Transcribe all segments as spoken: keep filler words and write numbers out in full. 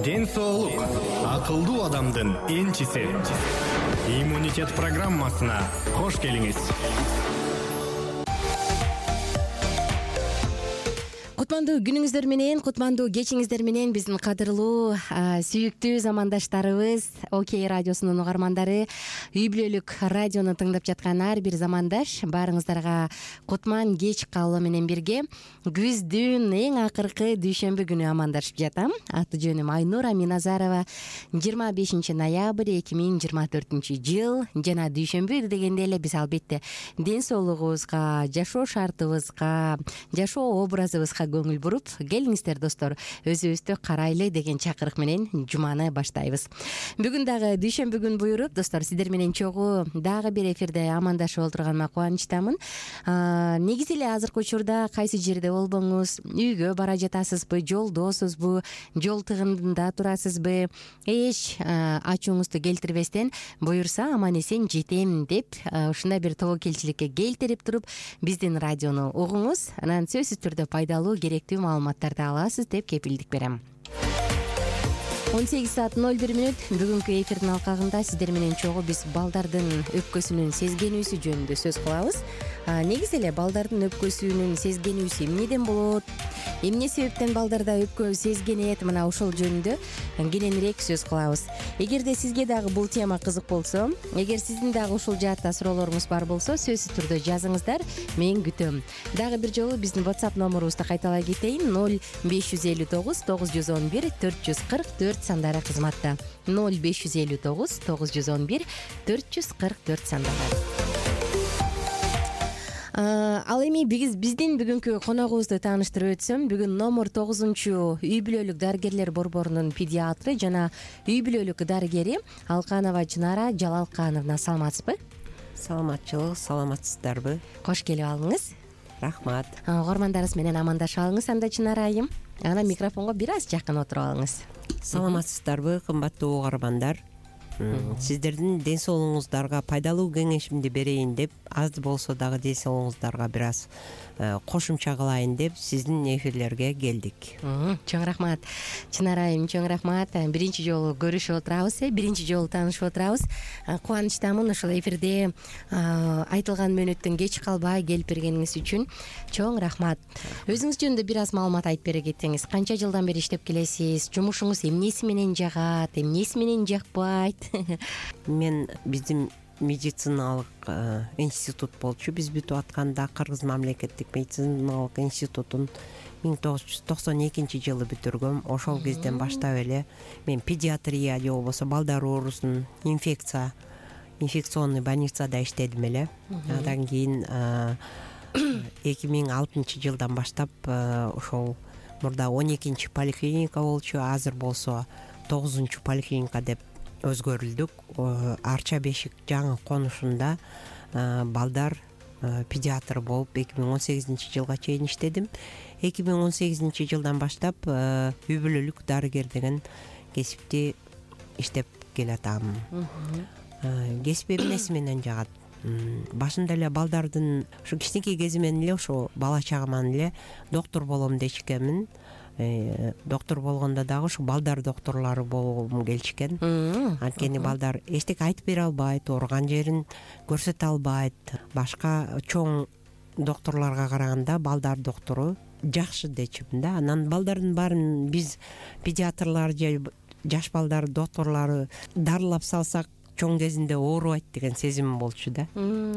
Ден соолук акылдуу адамдын энчиси. Иммунитет программасына кош келиңиз. Кутмандуу күнүңүздөр менен, кутмандуу кечиңиздер менен биздин кадырлуу, сүйүктүү замандаштарыбыз, Окей радиосунун угармандары, үй бүлөлүк радиону тыңдап жаткан ар бир замандаш баарыңыздарга кутман кеч каалоо менен бирге күздүн эң акыркы дүйшөмбү күнү амандашып жатам. Аты жөнүм Айнура Миназарова. жыйырма бешинчи ноябрь эки миң жыйырма төртүнчү жыл жана дүйшөмбү дегенде эле биз албетте ден соолугубузга, жашоо шартыбызга, жашоо образыбызга көңүл буруп, келиңиздер достор, өзүбүздү карайлы деген чакырык менен жуманы баштайбыз. Бүгүн дагы дүйшөмбү күн буйруп, достор, сиздер менен чогуу дагы бир эфирде амандашып олтурганыма кубанычтамын. Негизи эле азыркы учурда кайсы жерде болбоңуз, үйгө бара жатасызбы, жолдосузбу, жол тыгынында турасызбы, эч ачууңузду келтирбестен буюрса аман эсен жетем деп ушундай бир тобокелчиликке келтирип туруп биздин радиону угуңуз, анан сөзсүз түрдө пайдалуу, керектүү маалыматтарды аласыз деп кепилдик берем. он сегиз саат ноль бир мүнөт бүгүнкү эфирдин алкагында сиздер менен чогуу биз балдардын өпкөсүнүн сезгенүүсү жөнүндө сөз кылабыз. Негизи эле балдардын өпкөсүнүн сезгенүүсү эмнеден болот, эмне себептен балдарда өпкө сезгенет, мына ошол жөнүндө кененирээк сөз кылабыз. Эгерде сизге дагы бул тема кызык болсо, эгер сиздин дагы ушул жаатта суроолоруңуз бар болсо, сөзсүз түрдө жазыңыздар, мен күтөм. Дагы бир жолу биздин WhatsApp номерубузду кайталай кетейин: ноль беш жүз элүү тогуз тогуз жүз он бир төрт жүз кырк төрт сандары кызматта. ноль беш жүз элүү тогуз тогуз жүз он бир төрт жүз кырк төрт сандары. Ал эми биз биздин бүгүнкү коногубузду тааныштырып өтсөм, бүгүн номер тогузунчу үй бүлөлүк дарыгерлер борборунун педиатры жана үй бүлөлүк дарыгери Алканова Чынара Жалалкановна. Саламатсызбы? Саламатчылык, саламатсыздарбы? Кош келип алыңыз. Рахмат. Угармандарыбыз менен амандашып алыңыз анда, Чынара айым. Анан микрофонго бир аз жакын отуруп алыңыз. Саламатсыздарбы, кымбаттуу угармандар? Сиздердин ден соолугуңуздарга пайдалуу кеңешимди берейин деп, аз болсо дагы ден соолугуңуздарга бир аз кошумча кылайын деп сиздин эфирлерге келдик. Чоң рахмат. Чынара айым, чоң рахмат. Биринчи жолу көрүшүп отурабыз, биринчи жолу таанышып отурабыз. Кубанычтамын ушул эфирде айтылган мөөнөттөн кеч калбай келип бергениңиз үчүн. Чоң рахмат. Өзүңүз жөнүндө бир аз маалымат айтып бере кетсеңиз. Канча жылдан бери иштеп келесиз? Жумушуңуз эмнеси менен жагат, эмнеси менен жакпайт? Мен биздин медициналык институт болчу. Биз бүтүп атканда Кыргыз мамлекеттик медициналык институтун миң тогуз жүз токсон экинчи жылы бүтүргөм. Ошол кезден баштап эле мен педиатрия же болбосо балдар оорусун инфекция инфекционный больницада иштедим эле. Андан кийин эки миң алтынчы жылдан баштап ошол мурда он экинчи поликлиника болчу, азыр болсо тогузунчу поликлиника деп өзгөрүлдүк. Арча бешик жаңы конушунда балдар педиатры болуп эки миң он сегизинчи жылга чейин иштедим. эки миң он сегизинчи жылдан баштап үй бүлөлүк дарыгер деген кесипти иштеп келатам. Кесип эмнеси менен жагат? Башында эле балдардын ушу кичинекей кезимен эле ошо бала чагыман эле доктор болом дечкенмин. Доктор болгондо дагы ушу балдар докторлору болгум келишкен. Анткени балдар эчтеке айтып бере албайт, ооруган жерин көрсөтө албайт. Башка чоң докторлорго караганда балдар доктору жакшы дечүмүн да. Анан балдардын баарын биз педиатрлар же жаш балдар докторлору дарылап салсак чоң кезинде оорубайт деген сезим болчу да.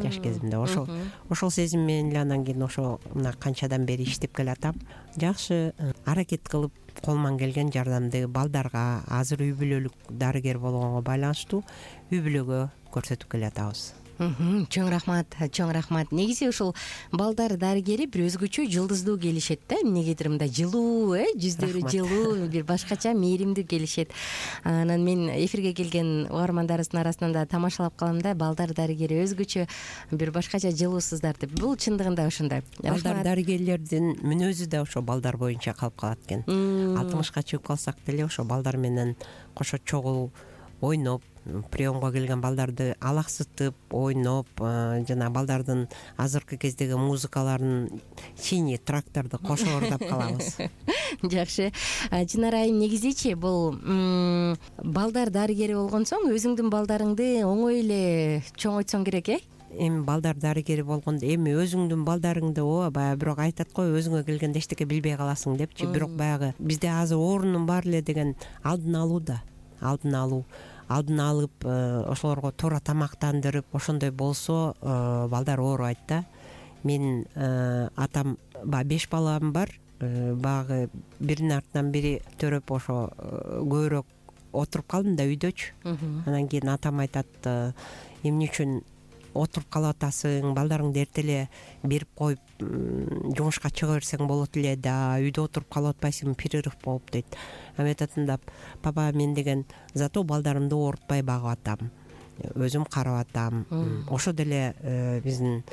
Жаш кезимде ошол ошол сезим менен эле анан кийин ошо мына канчадан бери иштеп келатам. Жакшы аракет кылып колуман келген жардамды балдарга, азыр үй бүлөлүк дарыгер болгонго байланыштуу үй бүлөгө көрсөтүп келатабыз. Чоң рахмат, чоң рахмат. Негизи ушул балдар дарыгери бир өзгөчө жылдыздуу келишет да. Эмнегедир мындай жылуу, э, жүздөрү жылуу, бир башкача мээримдүү келишет. Анан мен эфирге келген угармандарыбыздын арасынан да тамашалап калам да, балдар дарыгери өзгөчө бир башкача жылуусуздар деп. Бул чындыгында ошондой. Балдар дарыгерлердин мүнөзү да ошо балдар боюнча калып калат экен. алтымышка чыгып калсак деле ошо балдар менен кошо чогуу ойноп, приемго келген балдарды алаксытып, ойноп, жана балдардын азыркы кездеги музыкаларын синий тракторду кошо ырдап калабыз. жакшы. Чынар айым, негизичи бул балдар дарыгери болгон соң өзүңдүн балдарыңды оңой эле чоңойтсоң керек, э? Эми балдар дарыгери болгондо эми өзүңдүн балдарыңды ооба баягы бирок айтат го, өзүңө келгенде эчтеке билбей каласың депчи. Бирок баягы бизде азыр оорунун бар эле деген алдын алуу да, алдын алуу алдын алып ошолорго туура тамактандырып, ошондой болсо балдар оорубайт да. Мен атам баягы беш балам бар, баягы биринин артынан бири төрөп ошо көбүрөөк отуруп калдым да үйдөчү. Анан кийин атам айтат, эмне үчүн отуруп калып атасың, балдарыңды эрте эле берип коюп жумушка чыга берсең болот эле да, үйдө отуруп калып атпайсыңбы, перерыв болуп дейт. Ам айтатын да, папа, мен деген зато балдарымды оорутпай багып атам, өзүм карап атам. Ошо деле биздин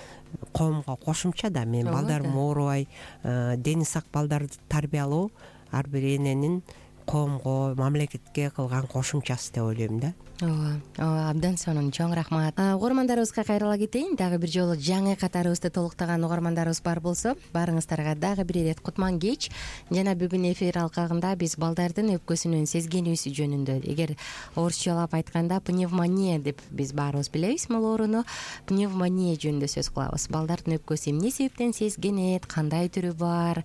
коомго кошумча да. Мен балдарым оорубай, дени сак балдарды тарбиялоо ар бир эненин коомго, мамлекетке кылган кошумчасы деп ойлойм да. ооба ооба абдан сонун, чоң рахмат. Угармандарыбызга кайрыла кетейин. Дагы бир жолу жаңы катарыбызды толуктаган угармандарыбыз бар болсо, баарыңыздарга дагы бир ирет кутман кеч. Жана бүгүн эфир алкагында биз балдардын өпкөсүнүн сезгенүүсү жөнүндө, эгер орусчалап айтканда пневмония деп биз баарыбыз билебиз бул ооруну, пневмония жөнүндө сөз кылабыз. Балдардын өпкөсү эмне себептен сезгенет, кандай түрү бар,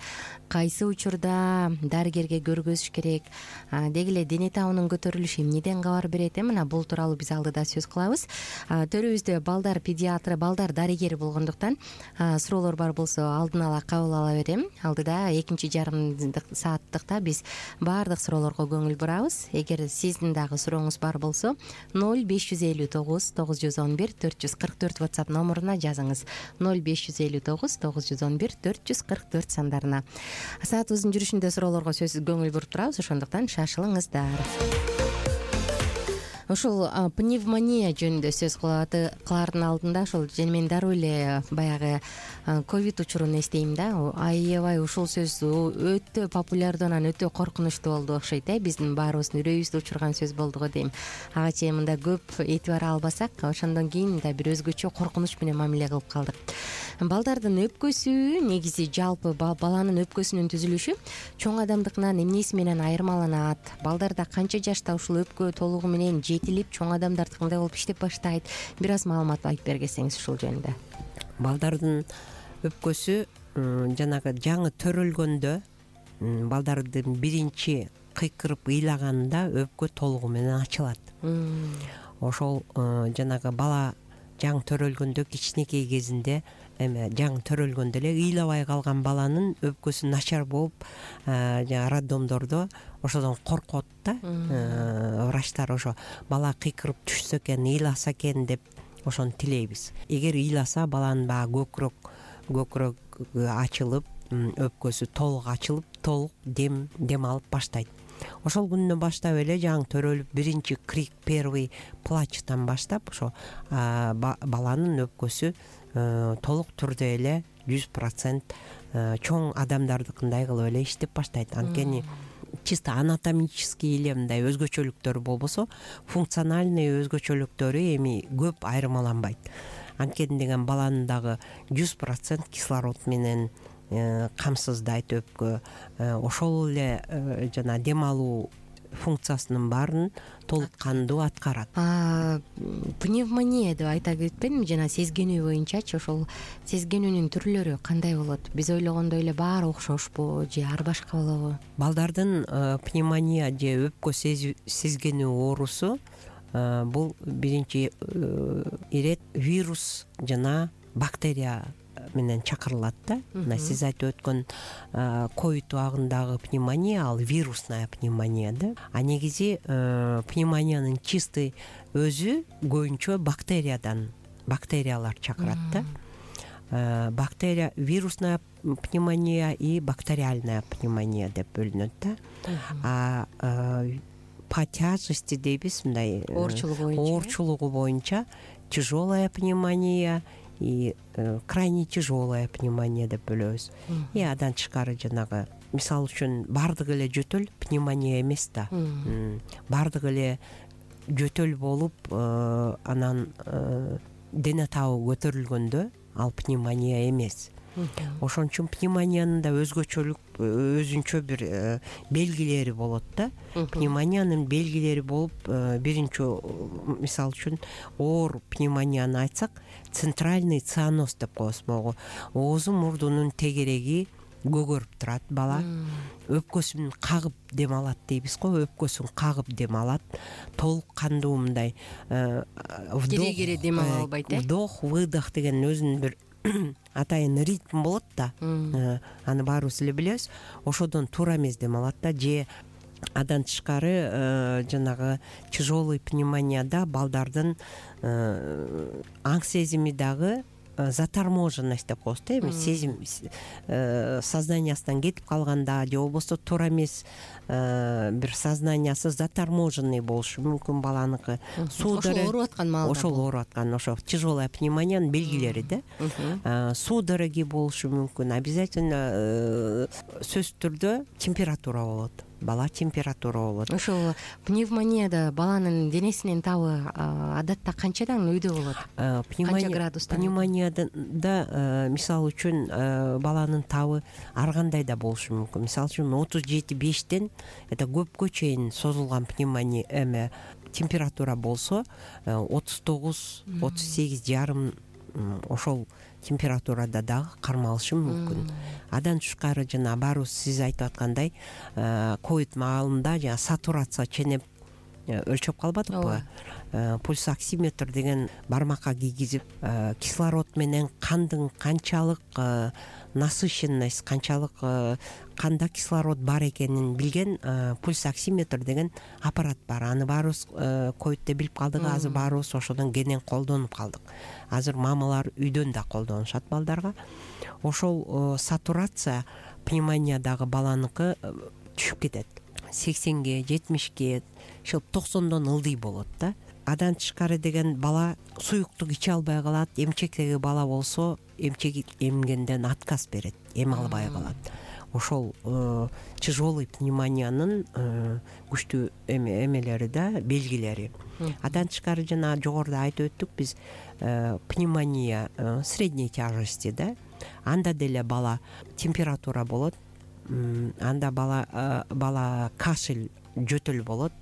кайсы учурда дарыгерге көргөзүш керек, деги эле дене табынын көтөрүлүшү эмнеден кабар берет, э мына бул тууралуу биз алдыда сөз кылабыз. Төрүбүздө балдар педиатры, балдар дарыгери болгондуктан суроолор бар болсо алдын ала кабыл ала берем. Алдыда экинчи жарым сааттыкта биз баардык суроолорго көңүл бурабыз. Эгер сиздин дагы сурооңуз бар болсо, ноль беш жүз элүү тогуз тогуз жүз он бир төрт жүз кырк төрт WhatsApp номуруна жазыңыз. ноль беш жүз элүү тогуз тогуз жүз он бир төрт жүз кырк төрт сандарына. Саатыбыздын жүрүшүндө суроолорго сөзсүз көңүл буруп турабыз, ошондуктан шашылыңыздар. Ушул пневмония жөнүндө сөз кылаардын алдында ошол мен дароо эле баягы ковид учурун эстейм да. Аябай ушул сөз өтө популярдуу, анан өтө коркунучтуу болду окшойт, э биздин баарыбыздын үрөйүбүздү учурган сөз болду го дейм. Ага чейин мында көп этибар албасак, ошондон кийин да бир өзгөчө коркунуч менен мамиле кылып калдык. Балдардын өпкөсү негизи жалпы баланын өпкөсүнүн түзүлүшү чоң адамдыкынан эмнеси менен айырмаланат? Балдарда канча жашта ушул өпкө толугу менен жетилип, чоң адамдардыкы кандай болуп иштеп баштайт? Бир аз маалымат айтып бергесеңиз ушул жөнүндө. Балдардын өпкөсү жанагы жаңы төрөлгөндө, балдардын биринчи кыйкырып ыйлаганында өпкө толугу менен ачылат. Ошол жанагы бала жаңы төрөлгөндө, кичинекей кезинде, эми жаңы төрөлгөндө эле ыйлабай калган баланын өпкөсү начар болуп, жана роддомдордо ошодон коркот да. Врачтар ошо бала кыйкырып түшсө экен, ыйласа экен деп ошону тилейбиз. Эгер ыйласа, баланын баягы көкүрөк көкүрөк ачылып, өпкөсү толук ачылып, толук дем дем алып баштайт. Ошол күнүнөн баштап эле жаңы төрөлүп, биринчи крик, первый плачтан баштап ошо баланын өпкөсү толук түрдө эле жүз процент чоң адамдардыкындай кылып эле иштеп баштайт. Анткени чисто анатомический эле мындай өзгөчөлүктөр болбосо, функциональный өзгөчөлүктөрү эми көп айырмаланбайт. Анткени деген баланын дагы жүз процент кислород менен камсыздайт өпкө. Ошол эле жана дем алуу функциясынын баарын толук кандуу аткарат. Пневмония деп айта кетпедимби, жана сезгенүү боюнчачы ошол сезгенүүнүн түрлөрү кандай болот? Биз ойлогондой эле баары окшошпу же ар башка болобу? Балдардын пневмония же өпкө сезгенүү оорусу бул биринчи ирет вирус жана бактерия менен чакырылат да. Мына сиз айтып өткөн ковид убагындагы пневмония ал вирусная пневмония да. А негизи пневмониянын чистый өзү көбүнчө бактериядан, бактериялар чакырат да. Бактерия, вирусная пневмония и бактериальная пневмония деп бөлүнөт да. А по тяжести дейбиз, мындай оорчулугу боюнча оорчулугу боюнча тяжелая пневмония и крайне тяжелая пневмония деп бөлөбүз. И андан тышкары жанагы, мисалы үчүн, баардык эле жөтөл пневмония эмес да. Баардык эле жөтөл болуп, анан дене табы көтөрүлгөндө ал пневмония эмес. ошон үчүн пневмониянын да өзгөчөлүк өзүнчө бир белгилери болот да. Пневмониянын белгилери болуп, биринчи мисалы үчүн оор пневмонияны айтсак, центральный цианоз деп коебуз. Могу оозу мурдунун тегереги көгөрүп турат бала, өпкөсүн кагып дем алат дейбиз го, өпкөсүн кагып дем алат, толук кандуу мындай кире кире дем ала албайт, э вдох выдох деген өзүнүн бир атайын ритм болот да, аны баарыбыз эле билебиз. Ошодон туура эмес дем алат да, же андан тышкары жанагы тяжелый пневмонияда балдардын аң сезими дагы заторможенность деп коебуз да, эми сезим сознаниясынан кетип калганда же болбосо туура эмес бир сознаниясы заторможенный болушу мүмкүн баланыкы. Ошол ооруп аткан маалда, ошол ооруп аткан ошо тяжелая пневмониянын белгилери да. Судороги болушу мүмкүн, обязательно сөзсүз түрдө температура болот, бала температура болот. Ошол пневмонияда баланын денесинин табы адатта канчадан өйдө болот? Канча градустан? Пневмонияда мисалы үчүн баланын табы ар кандай да болушу мүмкүн. Мисалы үчүн отуз жети бештен это көпкө чейин созулган пневмония эме температура болсо, отуз тогуз отуз сегиз жарым ошол температурада дагы кармалышы мүмкүн. Адан тышкары жана баарыбыз сиз айтып аткандай ковид маалында жана сатурация ченеп өлчөп калбадыкпы? Пульс оксиметр деген бармакка кийгизип, кислород менен кандын канчалык насыщенность, канчалык канда кислород бар экенин билген пульс оксиметр деген аппарат бар. Аны баарыбыз ковидте билип калдык, азыр баарыбыз ошодон кенен колдонуп калдык. Азыр мамалар үйдөн да колдонушат балдарга. Ошол сатурация пневмониядагы баланыкы түшүп кетет. сексенге, жетимишке, ошол токсондон ылдый болот да. Адан тышкары деген бала суюктук иче албай калат. Эмчектеги бала болсо эмчек эмгенден отказ берет, эме албай калат. Ошол тяжелый пневмониянын күчтүү эмелери да, белгилери. Адан тышкары жана жогоруда айтып өттүк биз, пневмония средней тяжести да. Анда деле бала температура болот, анда бала бала кашель, жөтөл болот.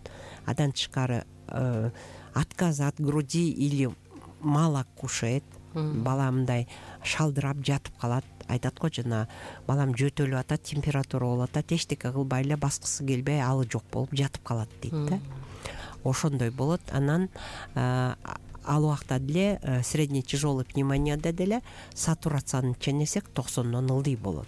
Адан тышкары отказ от груди или мало кушает, бала мындай шалдырап жатып калат. Айтат го, жана балам жөтөлүп атат, температура болуп атат, эчтеке кылбай эле баскысы келбей, алы жок болуп жатып калат дейт да. Ошондой болот. Анан ал убакта деле средний тяжелый пневмонияда деле сатурацияны ченесек токсондон ылдый болот.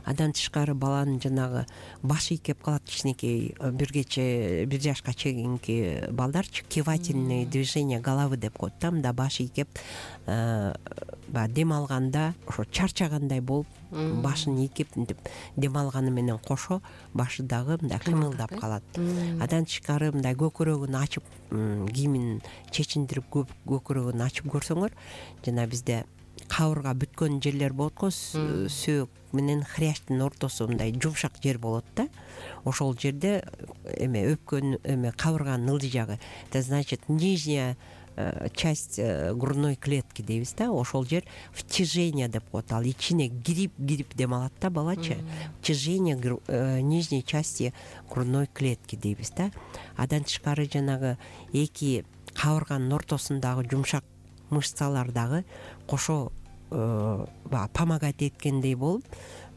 Адан тышкары баланын жанагы башы ийкеп калат, кичинекей бир кече бир жашка чейинки балдарчы кивательные движения головы деп коет да, мында башы ийкеп дем алганда ошо чарчагандай болуп, башын ийкеп дем алганы менен кошо башы дагы мындай кымылдап калат. Адан тышкары мындай көкүрөгүн ачып, кийимин чечиндирип көкүрөгүн ачып көрсөңөр, жана бизде кабырга бүткөн жерлер болот го, сөөк менен хрящтын ортосу мындай жумшак жер болот да. Ошол жерде эме өпкөн эме кабырганын ылдый жагы, это значит нижняя часть грудной клетки дейбиз да. Ошол жер втяжение деп коет, ал ичине кирип кирип дем алат да балачы. Втяжение нижней части грудной клетки дейбиз да. Адан тышкары жанагы эки кабырганын ортосундагы жумшак мышцалар дагы кошо помогать эткендей болуп,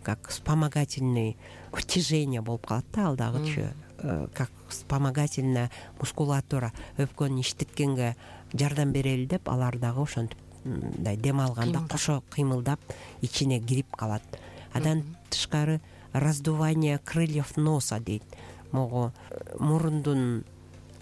как вспомогательный втяжение болуп калат да, ал дагычы, как вспомогательная мускулатура өпкөнү иштеткенге жардам берели деп, алар дагы ошентип мындай дем алганда кошо кыймылдап ичине кирип калат. Адан тышкары раздувание крыльев носа дейт. Могу мурундун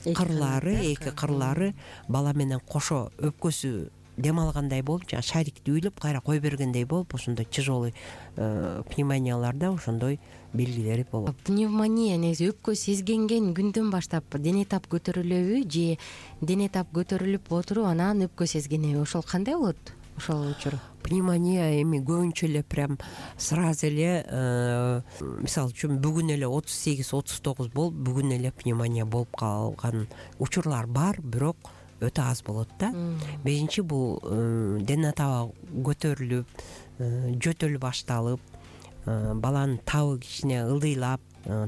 кырлары, эки кырлары бала менен кошо өпкөсү дем алгандай болуп, жана шарикти үйлөп кайра кой бергендей болуп, ошондой тяжелый пневмонияларда ошондой белгилери болот. Пневмония негизи өпкө сезгенген күндөн баштап дене тап көтөрүлөбү же дене тап көтөрүлүп отуруп анан өпкө сезгенеби? Ошол кандай болот? Ошол учур пневмония эми көбүнчө эле прям сразу эле, мисалы үчүн бүгүн эле отуз сегиз отуз тогуз болуп, бүгүн эле пневмония болуп калган учурлар бар, бирок өтө аз болот да. Биринчи бул дене таба көтөрүлүп, жөтөл башталып, баланын табы кичине ылдыйлап,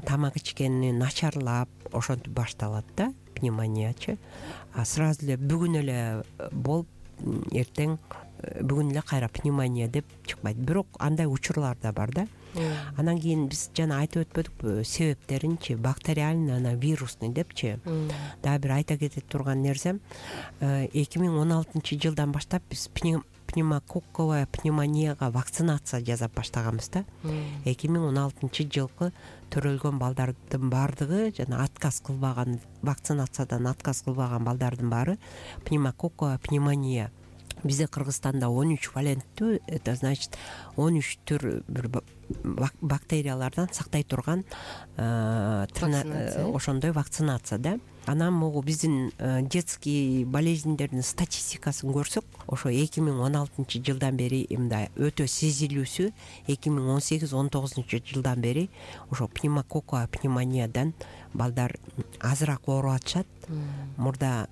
тамак ичкени начарлап ошентип башталат да пневмониячы. А сразу эле бүгүн эле болуп эртең бүгүн эле кайра пневмония деп чыкпайт. Бирок андай учурлар да бар да. Анан кийин биз жана айтып өтпөдүкпү себептеринчи, бактериальный, ана вирусный депчи. Дагы бир айта кете турган нерсем, эки миң он алтынчы жылдан баштап биз пневмококковая пневмонияга вакцинация жасап баштаганбыз да. эки миң он алтынчы жылкы төрөлгөн балдардын баардыгы жана отказ кылбаган, вакцинациядан отказ кылбаган балдардын баары пневмококковая пневмония. Бизде Кыргызстанда он үч валенттүү, это значит он үч түр бир бактериялардан сактай турган ошондой вакцинация да. Анан могу биздин детский болезньдердин статистикасын көрсөк, ошо эки миң он алтынчы жылдан бери мындай өтө сезилүүсү, эки миң он сегиз он тогузунчу жылдан бери ошо пневмококковая пневмониядан балдар азыраак ооруп атышат. Мурда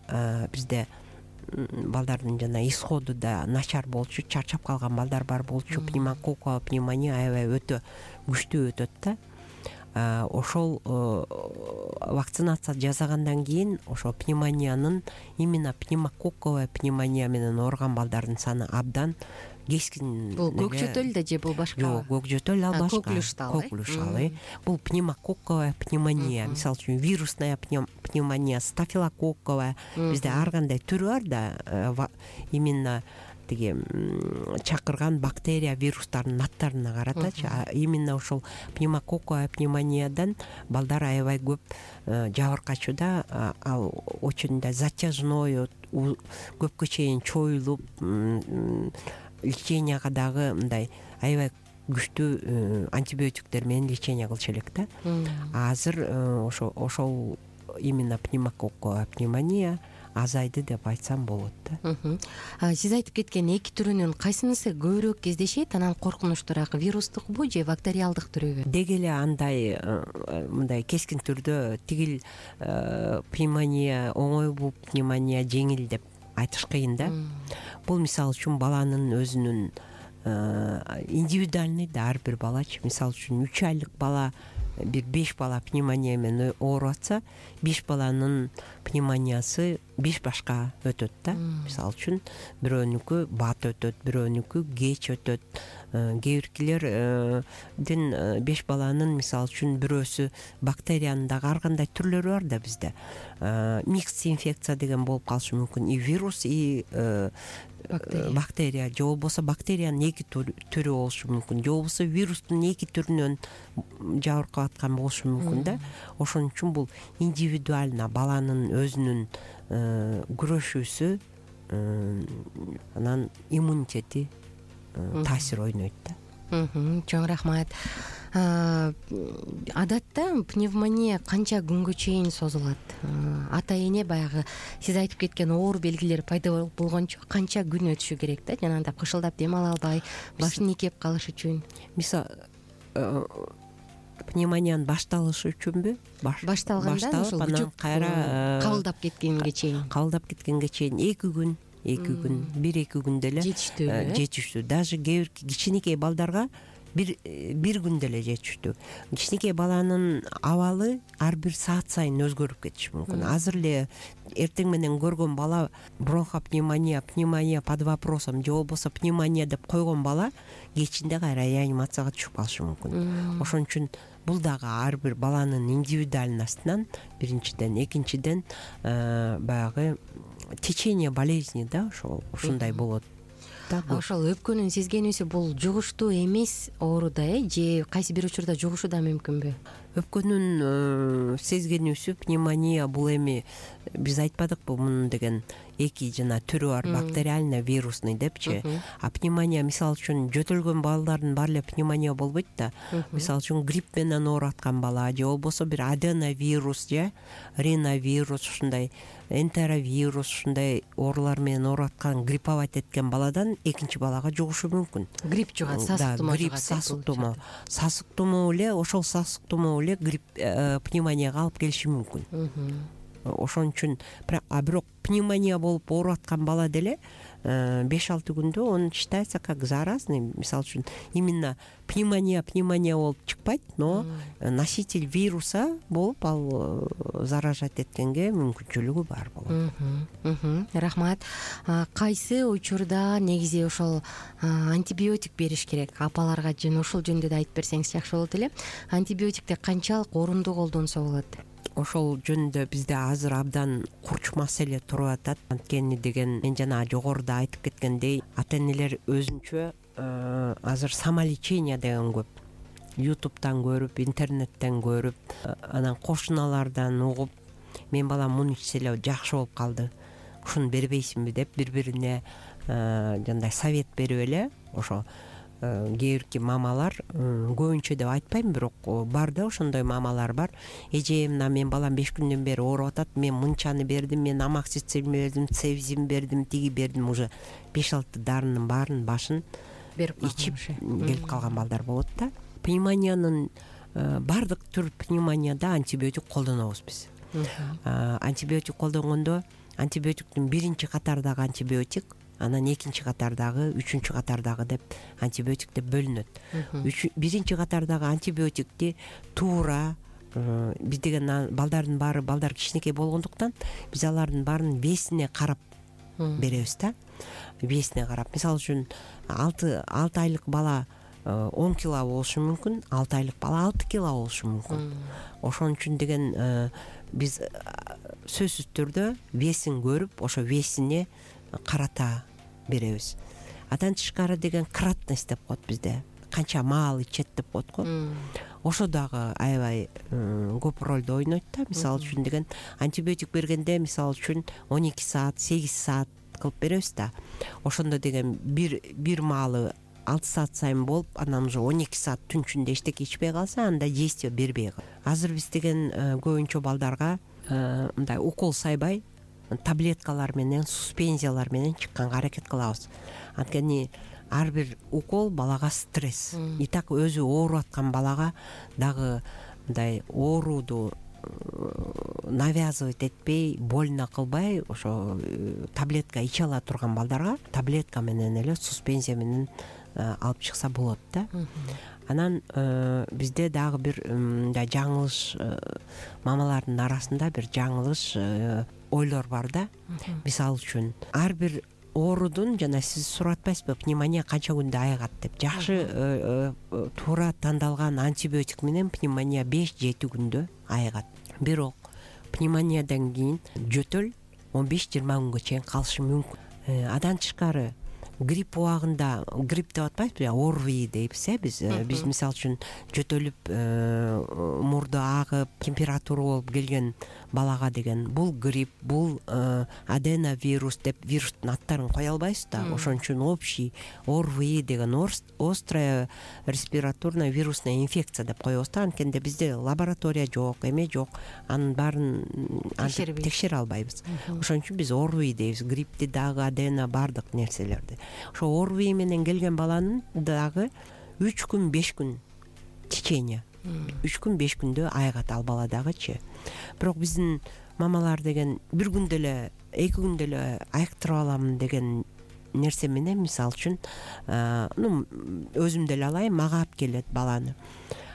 бизде балдардын жана исходу да начар болчу, чарчап калган балдар бар болчу. Пневмококковая пневмония аябай өтө күчтүү өтөт да. Ошол вакцинация жасагандан кийин ошо пневмониянын, именно пневмококковая пневмония менен ооруган балдардын саны абдан кескин. Бул көкчөтөл да же бул башка? Жок, көкчөтөл ал башка. Коклюштал. Коклюштал. Бул пневмококковая пневмония. Мисалы үчүн вирусная пневмония, стафилококковая. Бизде ар кандай түрү бар да, именно тиги чакырган бактерия, вирустардын аттарына каратачы. Именно ошол пневмококковая пневмониядан балдар аябай көп жабыркачу да. Ал очень да затяжной, көпкө чейин чоюлуп, леченияга дагы мындай аябай күчтүү антибиотиктер менен лечение кылчу элек да. Азыр ошо ошол именно пневмококковая пневмония азайды деп айтсам болот да. Сиз айтып кеткен эки түрүнүн кайсынысы көбүрөөк кездешет? Анан коркунучтуураак вирустукпу же бактериалдык түрүбү? Деги эле андай мындай кескин түрдө тигил пневмония оңойбу, пневмония жеңил деп айтыш кыйын да. Бул мисалы үчүн баланын өзүнүн индивидуальный да, ар бир балачы. Мисалы үчүн үч айлык бала, бир беш бала пневмония менен ооруп атса, беш баланын пневмониясы беш башка өтөт да. Мисалы үчүн бирөөнүкү бат өтөт, бирөөнүкү кеч өтөт. Кээ биркилердин беш баланын мисалы үчүн бирөөсү бактериянын дагы ар кандай түрлөрү бар да бизде. Микс инфекция деген болуп калышы мүмкүн. И вирус, и бактерия, же болбосо бактериянын эки түрү болушу мүмкүн, же болбосо вирустун эки түрүнөн жабыркап аткан болушу мүмкүн да. Ошон үчүн бул индивидуально баланын өзүнүн күрөшүүсү, анан иммунитети таасир ойнойт да. Чоң рахмат. Адатта пневмония канча күнгө чейин созулат? Ата эне баягы сиз айтып кеткен оор белгилер пайда болгончо канча күн өтүшү керек да? Жанагындай кышылдап дем ала албай, башын ийкеп калыш үчүн. Мисалы пневмониянын башталышы үчүнбү? Башталганда ошол анан кайра кабылдап кеткенге чейин. Кабылдап кеткенге чейин эки күн, эки күн, бир эки күндө эле жетиштүү. Жетиштүү. Даже кээ бир кичинекей балдарга бир бир күндө эле жетиштүү. Кичинекей баланын абалы ар бир саат сайын өзгөрүп кетиши мүмкүн. Азыр эле эртең менен көргөн бала бронхопневмония, пневмония под вопросом, же болбосо пневмония деп койгон бала кечинде кайра реанимацияга түшүп калышы мүмкүн. Ошон үчүн бул дагы ар бир баланын индивидуальностунан биринчиден, экинчиден баягы течение болезни да, ошол ушундай болот. Ошол өпкөнүн сезгенүүсү бул жугуштуу эмес оору да, э? Же кайсы бир учурда жугушу да мүмкүнбү? Өпкөнүн сезгенүүсү пневмония бул эми биз айтпадыкпы мунун деген эки жана түрү бар, бактериальный, вирусный депчи. А пневмония мисалы үчүн жөтөлгөн балдардын баары эле пневмония болбойт да. Мисалы үчүн грипп менен ооруп аткан бала, же болбосо бир аденовирус же риновирус, ушундай энтеровирус, ушундай оорулар менен ооруп аткан, грипповать эткен баладан экинчи балага жугушу мүмкүн. Грипп жугат, сасык тумоо жугат. Грипп, сасык тумоо. Сасык тумоо эле, ошол сасык тумоо эле грипп пневмонияга алып келиши мүмкүн. Ошон үчүн, а бирок пневмония болуп ооруп аткан бала деле беш алты күндө он считается как заразный. Мисалы үчүн именно пневмония пневмония болуп чыкпайт, но носитель вируса болуп ал заражать эткенге мүмкүнчүлүгү бар болот. Рахмат. Кайсы учурда негизи ошол антибиотик бериш керек? Апаларга жана ушул жөнүндө да айтып берсеңиз жакшы болот эле. Антибиотикти канчалык орунду колдонсо болот? Ошол жөнүндө бизде азыр абдан курч маселе туруп атат. Анткени деген мен жана жогоруда айтып кеткендей, ата энелер өзүнчө азыр самолечение деген көп. Ютубтан көрүп, интернеттен көрүп, анан кошуналардан угуп, мен балам муну ичсе эле жакшы болуп калды, ушуну бербейсиңби деп бири-бирине жандай совет берип эле ошо кээ бирки мамалар, көбүнчө деп айтпайм, бирок бар да ошондой мамалар бар. Эже, мына мен балам беш күндөн бери ооруп атат, мен мынчаны бердим, мен амоксициллин бердим, цевзин бердим, тиги бердим, уже беш алты дарынын баарын башын берип ичип келип калган балдар болот да. Пневмониянын бардык түр пневмонияда антибиотик колдонобуз биз. Антибиотик колдонгондо антибиотиктин биринчи катардагы антибиотик, анан экинчи катардагы, үчүнчү катардагы деп антибиотик деп бөлүнөт. Биринчи катардагы антибиотикти туура биз деген балдардын баары балдар кичинекей болгондуктан биз алардын баарын весине карап беребиз да. Весине карап. Мисалы үчүн алты айлык бала он кило болушу мүмкүн, алты айлык бала алты кило болушу мүмкүн. Ошон үчүн деген биз сөзсүз түрдө весин көрүп, ошо весине карата беребиз. Адан тышкары деген кратность деп коет бизде. Канча маал ичет деп коет го. Ошо дагы аябай көп ролду ойнойт да. Мисалы үчүн деген антибиотик бергенде, мисалы үчүн он эки саат, сегиз саат кылып беребиз да. Ошондо деген бир бир маалы алты саат сайын болуп, анан уже он эки саат түн ичинде эчтеке ичпей калса, анда действие бербей калат. Азыр биз деген көбүнчө балдарга мындай укол сайбай, таблеткалар менен, суспензиялар менен чыкканга аракет кылабыз. Анткени ар бир укол балага стресс. И так өзү ооруп аткан балага дагы мындай ооруду навязывать этпей, больно кылбай, ошо таблетка иче ала турган балдарга таблетка менен эле, суспензия менен алып чыкса болот да. Анан бизде дагы бир мындай жаңылыш, мамалардын арасында бир жаңылыш ойлор бар да. Мисалы үчүн ар бир оорудун, жана сиз сурап атпайсызбы, пневмония канча күндө айыгат деп. Жакшы туура тандалган антибиотик менен пневмония беш жети күндө айыгат. Бирок пневмониядан кийин жөтөл он беш жыйырма күнгө чейин калышы мүмкүн. Адан тышкары грипп убагында, грипп деп атпайбызбы, орви дейбиз э биз. Биз мисалы үчүн жөтөлүп, мурду агып, температура болуп келген балага деген бул грипп, бул аденовирус деп вирустун аттарын кое албайбыз да. Ошон үчүн общий орви деген острая респираторная вирусная инфекция деп коебуз да. Анткенде бизде лаборатория жок, эме жок, анын баарын текшере албайбыз. Ошон үчүн биз орви дейбиз, гриппти дагы, адено бардык нерселерди. Ошо орви менен келген баланын дагы үч күн беш күн течение, үч күн беш күндө айыгат ал бала дагычы. Бирок биздин мамалар деген бир күндө эле, эки күндө эле айыктырып алам деген нерсе менен, мисалы үчүн ну өзүм деле алайын, мага алып келет баланы.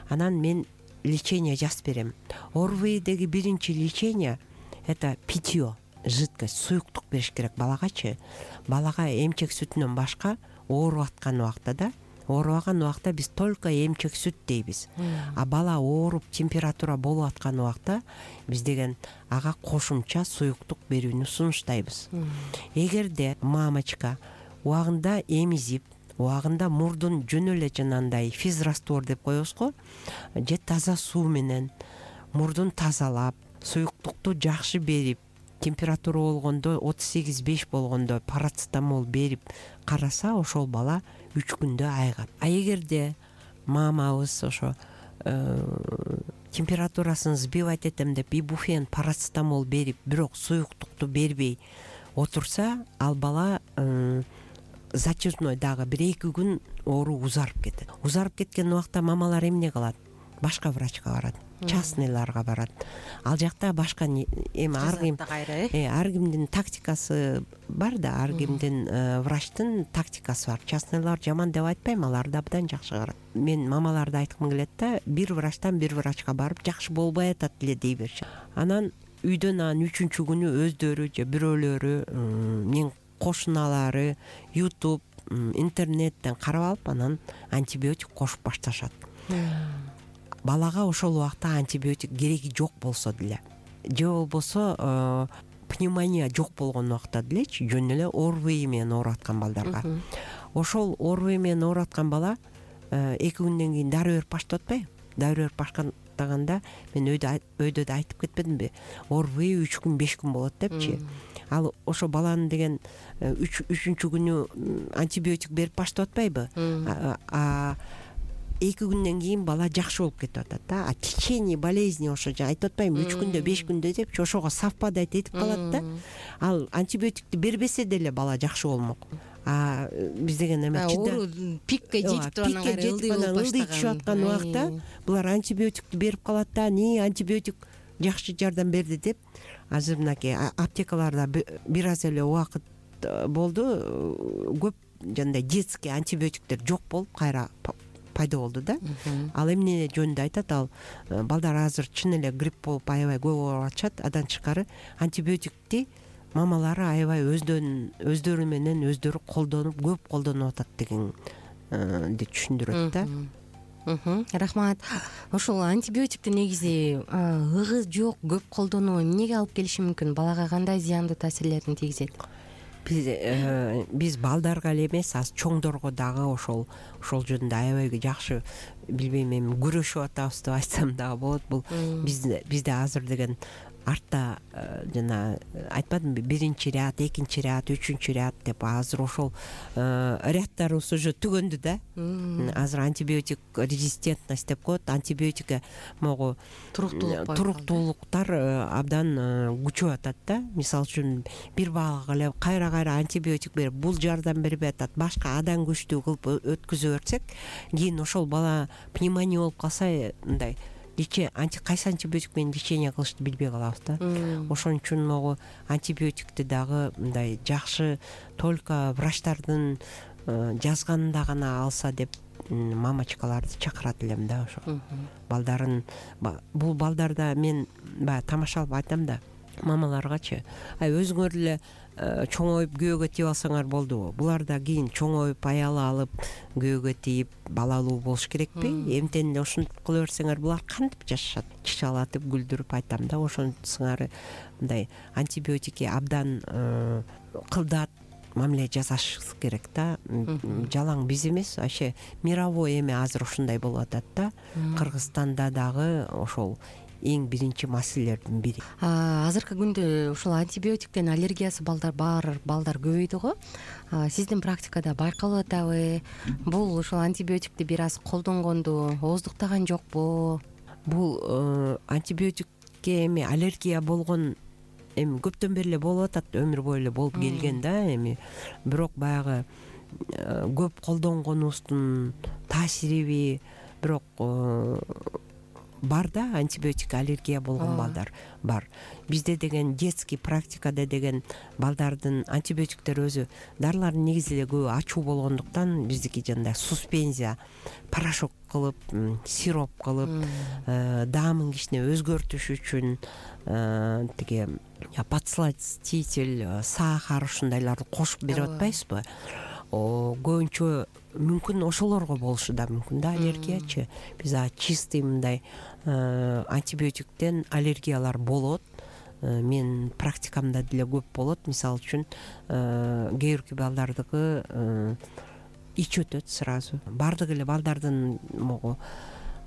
Анан мен лечение жазып берем. Орвидеги биринчи лечение это питье, жидкость, суюктук бериш керек балагачы. Балага эмчек сүтүнөн башка ооруп аткан убакта да, оорубаган убакта биз только эмчек сүт дейбиз. А бала ооруп, температура болуп аткан убакта биз деген ага кошумча суюктук берүүнү сунуштайбыз. Эгерде мамочка убагында эмизип, убагында мурдун жөн эле жанагындай физраствор деп коебуз го, же таза суу менен мурдун тазалап, суюктукту жакшы берип, температура болгондо отуз сегиз беш болгондо парацетамол берип караса, ошол бала үч күндө айыгат. А эгерде мамабыз ошо температурасын сбивать этем деп ибуфен, парацетамол берип, бирок суюктукту бербей отурса, ал бала зачетной дагы бир эки күн оору узарып кетет. Узарып кеткен убакта мамалар эмне кылат? Башка врачка барат. частныйларга барат. Ал жакта башка эми ар ким ар кимдин тактикасы бар да, ар кимдин врачтын тактикасы бар. Частныйлар жаман деп айтпайм, алар да абдан жакшы карат. Мен мамаларды айткым келет да, бир врачтан бир врачка барып жакшы болбой атат эле дей беришет. Анан үйдөн анан үчүнчү күнү өздөрү же бирөөлөрү менин кошуналары YouTube, интернеттен карап алып, анан антибиотик кошуп башташат. Балага ошол убакта антибиотик кереги жок болсо деле, же болбосо пневмония жок болгон убакта делечи, жөн эле ОРВИ менен ооруп аткан балдарга. Ошол ОРВИ менен ооруп аткан бала эки күндөн кийин дароо берип баштап атпайбы? Дароо берип баштаганда мен өйдө өйдө да айтып кетпедимби? ОРВИ үч күн беш күн болот депчи. Ал ошо баланы деген үчүнчү күнү антибиотик берип баштап атпайбы? А эки күндөн кийин бала жакшы болуп кетип атат да. А течение болезни ошо айтып атпаймынбы, үч күндө беш күндө депчи, ошого совпадать этип калат да. Ал антибиотикти бербесе деле бала жакшы болмок. А биз деген эме оору пикке жетип турган ылдый түшүп аткан убакта булар антибиотикти берип калат да, не антибиотик жакшы жардам берди деп. Азыр мынакей аптекаларда бир аз эле убакыт болду, көп жандай детский антибиотиктер жок болуп кайра пайда болду да. Ал эмне жөнүндө айтат, ал балдар азыр чын эле грипп болуп аябай көп ооруп атышат. Адан тышкары антибиотикти мамалары аябай өздөрү менен өздөрү колдонуп, көп колдонуп атат дегенди түшүндүрөт да. Рахмат. Ошол антибиотикти негизи ыгы жок көп колдонуу эмнеге алып келиши мүмкүн? Балага кандай зыяндуу таасирлерин тийгизет? Биз биз балдарга эле эмес, аз чоңдорго дагы ошол ошол жөнүндө аябай жакшы, билбейм, эми күрөшүп атабыз деп айтсам дагы болот. Бул бизде бизде азыр деген артта жана айтпадымбы, биринчи ряд, экинчи ряд, үчүнчү ряд деп азыр ошол ряддарыбыз уже түгөндү да. Азыр антибиотик резистентность деп коет. Антибиотикке могу туруктуулуктар абдан күчөп атат да. Мисалы үчүн бир балага эле кайра кайра антибиотик берип, бул жардам бербей атат, башка адан күчтүү кылып өткөзө берсек, кийин ошол бала пневмония болуп калса, мындай анти кайсы антибиотик менен лечение кылышты билбей калабыз да. Ошон үчүн могу антибиотикти дагы мындай жакшы только врачтардын жазганында гана алса деп мамачкаларды чакырат элем да. Ошо балдарын, бул балдарда мен баягы тамашалап айтам да мамаларгачы, ай өзүңөр эле чоңоюп күйөөгө тийип алсаңар болдубу? Булар да кийин чоңоюп аял алып күйөөгө тийип балалуу болуш керекпи? Эмтен эле ушинтип кыла берсеңер булар кантип жашашат? Чычалатып күлдүрүп айтам да. Ошонусуңар мындай антибиотикке абдан кылдат мамиле жасашыбыз керек да. Жалаң биз эмес, вообще мировой эме азыр ушундай болуп атат да. Кыргызстанда дагы ошол эң биринчи маселелердин бири. Азыркы күндө ушул антибиотиктен аллергиясы балдар бар балдар көбөйдү го. Сиздин практикада байкалып атабы? Бул ушул антибиотикти бир аз колдонгонду ооздуктаган жокпу? Бул антибиотикке эми аллергия болгон эми көптөн бери эле болуп атат, өмүр бою эле болуп келген да. Эми бирок баягы көп колдонгонубуздун таасириби, бирок бар да, антибиотик аллергия болгон балдар бар. Бизде деген детский практикада деген балдардын антибиотиктер өзү дарылардын негизи эле көбү ачуу болгондуктан биздики жандай суспензия, порошок кылып, сироп кылып, даамын кичине өзгөртүш үчүн тиги подсластитель, сахар ушундайларды кошуп берип атпайбызбы? Көбүнчө мүмкүн ошолорго болушу да мүмкүн да аллергиячы. Биз чистый мындай антибиотиктен аллергиялар болот. Мен практикамда деле көп болот. Мисалы үчүн кээ бирки балдардыкы ич өтөт сразу. Бардык эле балдардын могу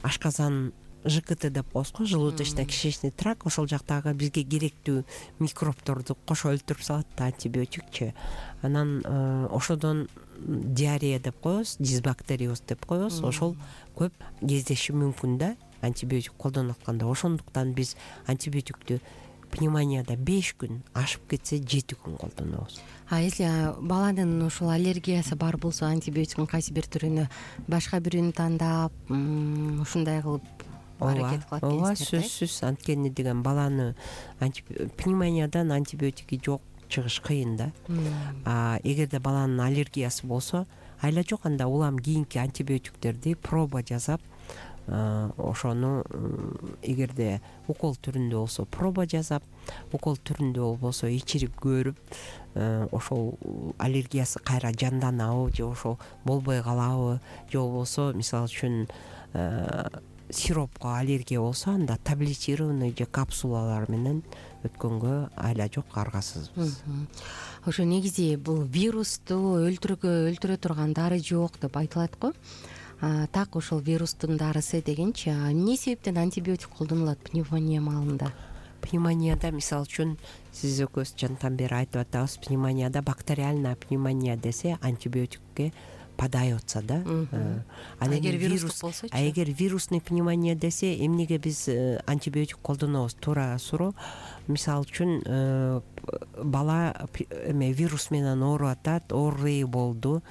ашказан ЖКТ деп коебуз го, желудочно-кишечный тракт, ошол жактагы бизге керектүү микробторду кошо өлтүрүп салат да антибиотикчи. Анан ошодон диарея деп коебуз, дисбактериоз деп коебуз. Ошол көп кездеши мүмкүн да антибиотик колдонуп атканда. Ошондуктан биз антибиотикти пневмонияда беш күн, ашып кетсе жети күн колдонобуз. А если баланын ушул аллергиясы бар болсо, антибиотиктин кайсы бир түрүнө башка бирөөнү тандап, ушундай кылып аракет кылат ооба, экенсиңер. сөзсүз. Анткени деген баланы пневмониядан антибиотики жок чыгыш кыйын да. А эгерде баланын аллергиясы болсо айла жок, анда улам кийинки антибиотиктерди проба жасап, ошону эгерде укол түрүндө болсо проба жасап, укол түрүндө болбосо ичирип көрүп, ошол аллергиясы кайра жанданабы же ошол болбой калабы, же болбосо мисалы үчүн сиропко аллергия болсо анда таблетированный же капсулалар менен өткөнгө айла жок, аргасызбыз. Ошо негизи бул вирусту өлтүргө өлтүрө турган дары жок деп айтылат го. Так ошол вирустун дарысы дегенчи, эмне себептен антибиотик колдонулат пневмония маалында? Пневмонияда мисалы үчүн сиз экөөбүз жандан бери айтып атабыз, пневмонияда бактериальная пневмония десе антибиотикке подается да. А эгер вирустук болсочу? А эгер вирусный пневмония десе, эмнеге биз антибиотик колдонобуз? Туура суроо. Мисалы үчүн бала эме вирус менен ооруп атат, оору болду,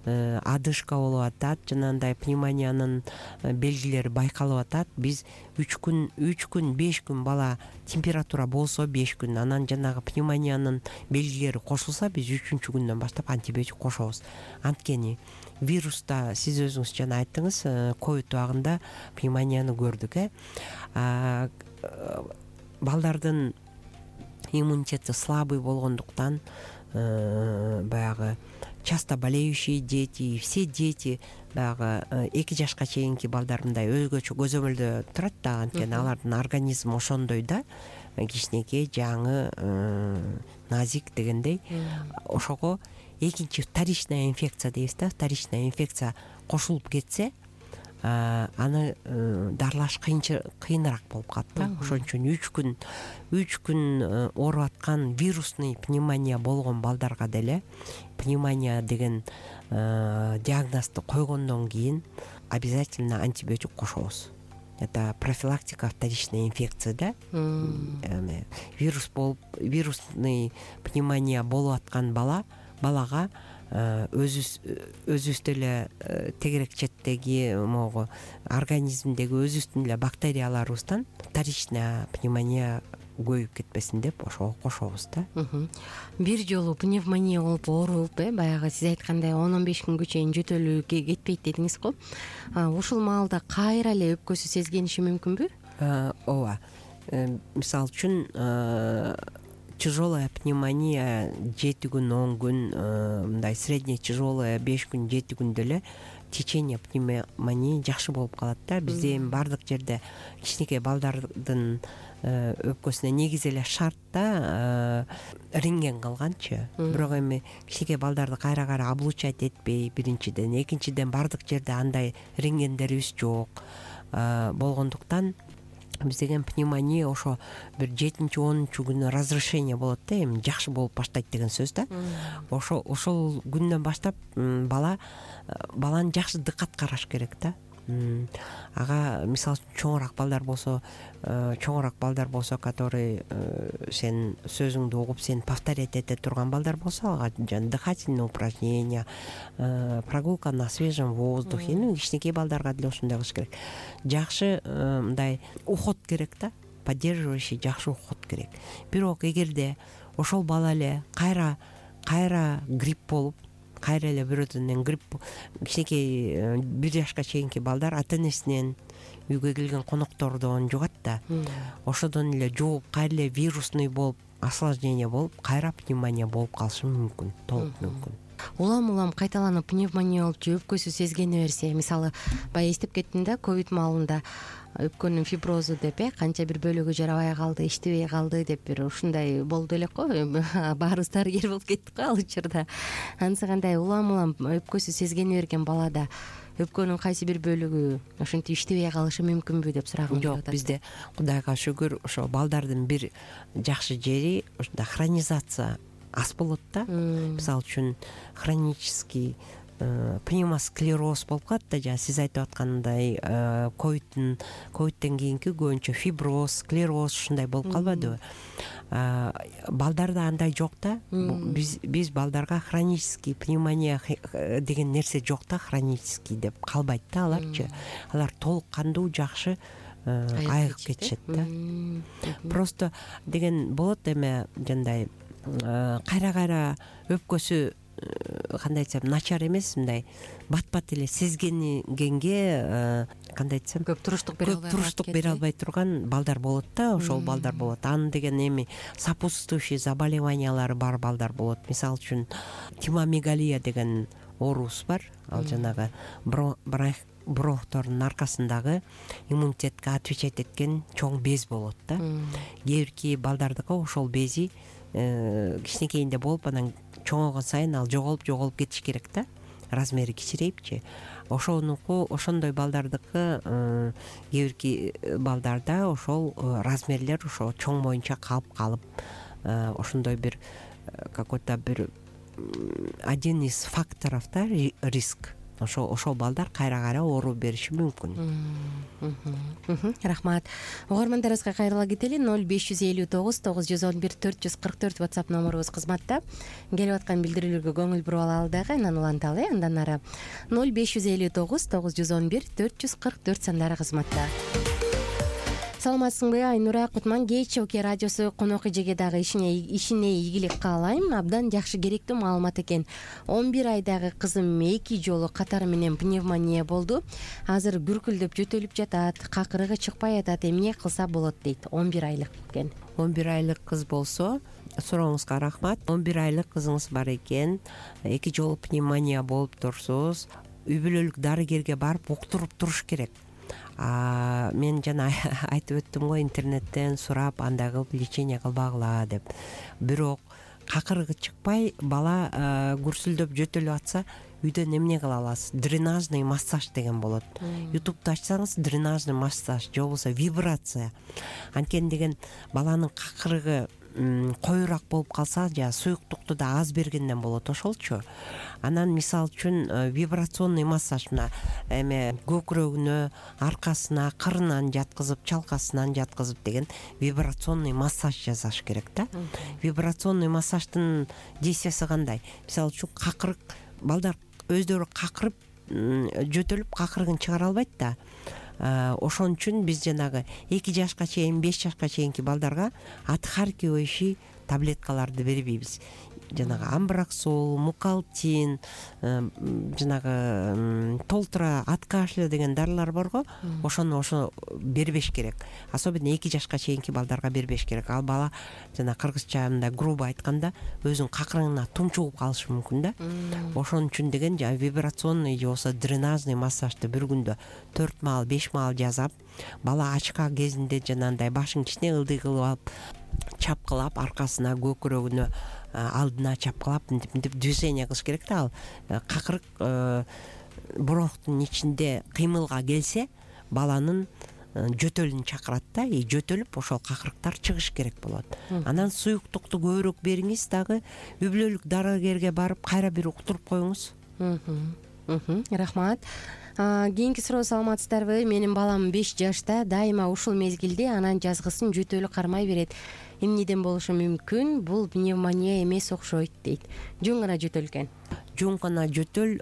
адышка болуп атат, жанагындай пневмониянын белгилери байкалып атат. Биз үч күн, үч күн, беш күн бала температура болсо беш күн, анан жанагы пневмониянын белгилери кошулса, биз үчүнчү күндөн баштап антибиотик кошобуз. Анткени вируста сиз өзүңүз жана айттыңыз, ковид убагында пневмонияны көрдүк, э. Балдардын иммунитети слабый болгондуктан, баягы часто болеющие дети, все дети, баягы эки жашка чейинки балдар мындай өзгөчө көзөмөлдө турат да, анткени алардын организми ошондой да, кичинекей, жаңы, назик дегендей. Ошого экинчи вторичная инфекция дейбиз да, вторичная инфекция кошулуп кетсе, аны дарылаш кыйыныраак болуп калат да. Ошон үчүн үч күн үч күн ооруп аткан вирусный пневмония болгон балдарга деле пневмония деген диагнозду койгондон кийин обязательно антибиотик кошобуз. Это профилактика вторичной инфекции да. Вирус болуп, вирусный пневмония болуп аткан бала балага өзүбүз өзүбүздө эле тегерек четтеги могу организмдеги өзүбүздүн эле бактерияларыбыздан вторичная пневмония көбөйүп кетпесин деп ошого кошобуз да. Бир жолу пневмония болуп ооруп, э баягы сиз айткандай он он беш күнгө чейин жөтөлүү кетпейт дедиңиз го. Ушул маалда кайра эле өпкөсү сезгениши мүмкүнбү? Ооба. Мисалы үчүн тяжелая пневмония жети күн, он күн, мындай средне тяжелая беш күн, жети күндө эле течение пневмонии жакшы болуп калат да. Бизде эми бардык жерде кичинекей балдардын өпкөсүнө негизи эле шарт да рентген кылганчы. Бирок эми кичинекей балдарды кайра кайра облучать этпей, биринчиден, экинчиден бардык жерде андай рентгендерибиз жок болгондуктан биз деген пневмония ошо бир жетинчи онунчу күнү разрешение болот да, эми жакшы болуп баштайт деген сөз да. Ошо ошол күндөн баштап бала баланы жакшы дыкат караш керек да. Ага мисалы үчүн чоңураак балдар болсо, чоңураак балдар болсо, который сен сөзүңдү угуп сен повторять эте турган балдар болсо, ага жана дыхательные упражнения, прогулка на свежем воздухе, ну кичинекей балдарга деле ушундай кылыш керек. Жакшы мындай уход керек да, поддерживающий жакшы уход керек. Бирок эгерде ошол бала эле кайра кайра грипп болуп, кайра эле бирөөдөн грипп, кичинекей бир жашка чейинки балдар ата-энесинен, үйгө келген коноктордон жугат да. Ошодон эле жугуп, кайра эле вирусный болуп, осложнение болуп, кайра пневмония болуп калышы мүмкүн, толук мүмкүн. Улам-улам кайталанып пневмония болуп же өпкөсү сезгене берсе, мисалы баягы эстеп кеттим да, ковид маалында өпкөнүн фиброзу деп, э канча бир бөлүгү жарабай калды, иштебей калды деп бир ушундай болду элек го. Баарыбыз дарыгер болуп кеттик го ал учурда. Анысы кандай улам-улам өпкөсү сезгене берген балада өпкөнүн кайсы бир бөлүгү ошентип иштебей калышы мүмкүнбү деп сурагым келип атат. Жок, бизде Кудайга шүгүр ошо балдардын бир жакшы жери ушундай хронизация аз болот да. Мисалы үчүн хронический пневмосклероз болуп калат да, жана сиз айтып аткандай ковидтин ковидтен кийинки көбүнчө фиброз, склероз ушундай болуп калбадыбы? Балдарда андай жок да. Биз биз балдарга хронический пневмония деген нерсе жок да, хронический деп калбайт да аларчы. Алар толук кандуу жакшы айыгып кетишет да. Просто деген болот эме жандай кайра кайра өпкөсү кандай айтсам начар эмес, мындай бат бат эле сезгенгенге кандай айтсам көп туруштук бере албай көп туруштук бере албай турган балдар болот да, ошол балдар болот. Анын деген эми сопутствующий заболеваниялары бар балдар болот. Мисалы үчүн тимомегалия деген оорубуз бар. Ал жанагы бронхтордун аркасындагы иммунитетке отвечать эткен чоң без болот да. Кээ бирки балдардыкы ошол бези кичинекейинде болуп, анан чоңойгон сайын ал жоголуп жоголуп кетиш керек да, размери кичирейипчи. Ошонуку ошондой балдардыкы кээ бирки балдарда ошол размерлер ошо чоң боюнча калып калып, ошондой бир какой-то бир один из факторов да, риск. Ошо ошол балдар кайра кайра оору бериши мүмкүн. Рахмат. Угармандарыбызга кайрыла кетели. ноль беш жүз элүү тогуз тогуз жүз он бир төрт жүз кырк төрт WhatsApp номерубуз кызматта. Келип аткан билдирүүлөргө көңүл буруп алалы дагы, анан уланталы. Андан ары ноль беш жүз элүү тогуз тогуз жүз он бир төрт жүз кырк төрт сандары кызматта. Саламатсыңбы Айнура? Кутман кеч Оке радиосу конок эжеге дагы ишине ишине ийгилик каалайм. Абдан жакшы, керектүү маалымат экен. он бир айдагы кызым эки жолу катары менен пневмония болду. Азыр бүркүлдөп жөтөлүп жатат, какырыгы чыкпай атат. Эмне кылса болот дейт. он бир айлык экен. он бир айлык кыз болсо, сурооңузга рахмат. он бир айлык кызыңыз бар экен, эки жолу пневмония болуп турсуз, үй бүлөлүк дарыгерге барып уктуруп туруш керек. А мен жана айтып өттүм го, интернеттен сурап андай кылып лечение кылбагыла деп. Бирок какырыгы чыкпай, бала күрсүлдөп жөтөлүп атса, үйдөн эмне кыла аласыз? Дренажный массаж деген болот. Ютубту ачсаңыз, дренажный массаж же болбосо вибрация. Анткени деген баланын какырыгы коюраак болуп калса, жа суюктукту да аз бергенден болот, ошолчу. Анан мисалы үчүн вибрационный массаж, мына эме көкүрөгүнө, аркасына, кырынан жаткызып, чалкасынан жаткызып деген вибрационный массаж жасаш керек да. Вибрационный массаждын действиясы кандай? Мисалы үчүн какырык, балдар өздөрү какырып жөтөлүп какырыгын чыгара албайт да. Ошон үчүн биз жанагы эки жашка чейин, беш жашка чейинки балдарга отхаркивающий таблеткаларды бербейбиз. Жанагы амбраксол, мукалтин, жанагы толтура, от кашля деген дарылар барго, ошону ошо бербеш керек. Особенно эки жашка чейинки балдарга бербеш керек. Ал бала жана кыргызча мындай грубо айтканда өзүнүн какырыгына тумчугуп калышы мүмкүн да. Ошон үчүн деген жана вибрационный же болбосо дренажный массажды бир күндө төрт маал, беш маал жасап, бала ачка кезинде жанагындай башын кичине ылдый кылып алып, чапкылап, аркасына, көкүрөгүнө, алдына чапкылап мынтип движение кылыш керек да. Ал какырык бронхтун ичинде кыймылга келсе, баланын жөтөлүн чакырат да, и жөтөлүп ошол какырыктар чыгыш керек болот. Анан суюктукту көбүрөөк бериңиз, дагы үй бүлөлүк дарыгерге барып кайра бир уктуруп коюңуз. Рахмат. Кийинки суроо: саламатсыздарбы? Менин балам беш жашта, дайыма ушул мезгилде анан жазгысын жөтөлү кармай берет. Эмнеден болушу мүмкүн? Бул пневмония эмес окшойт дейт. Жөн гана жөтөл экен. Жөн гана жөтөл,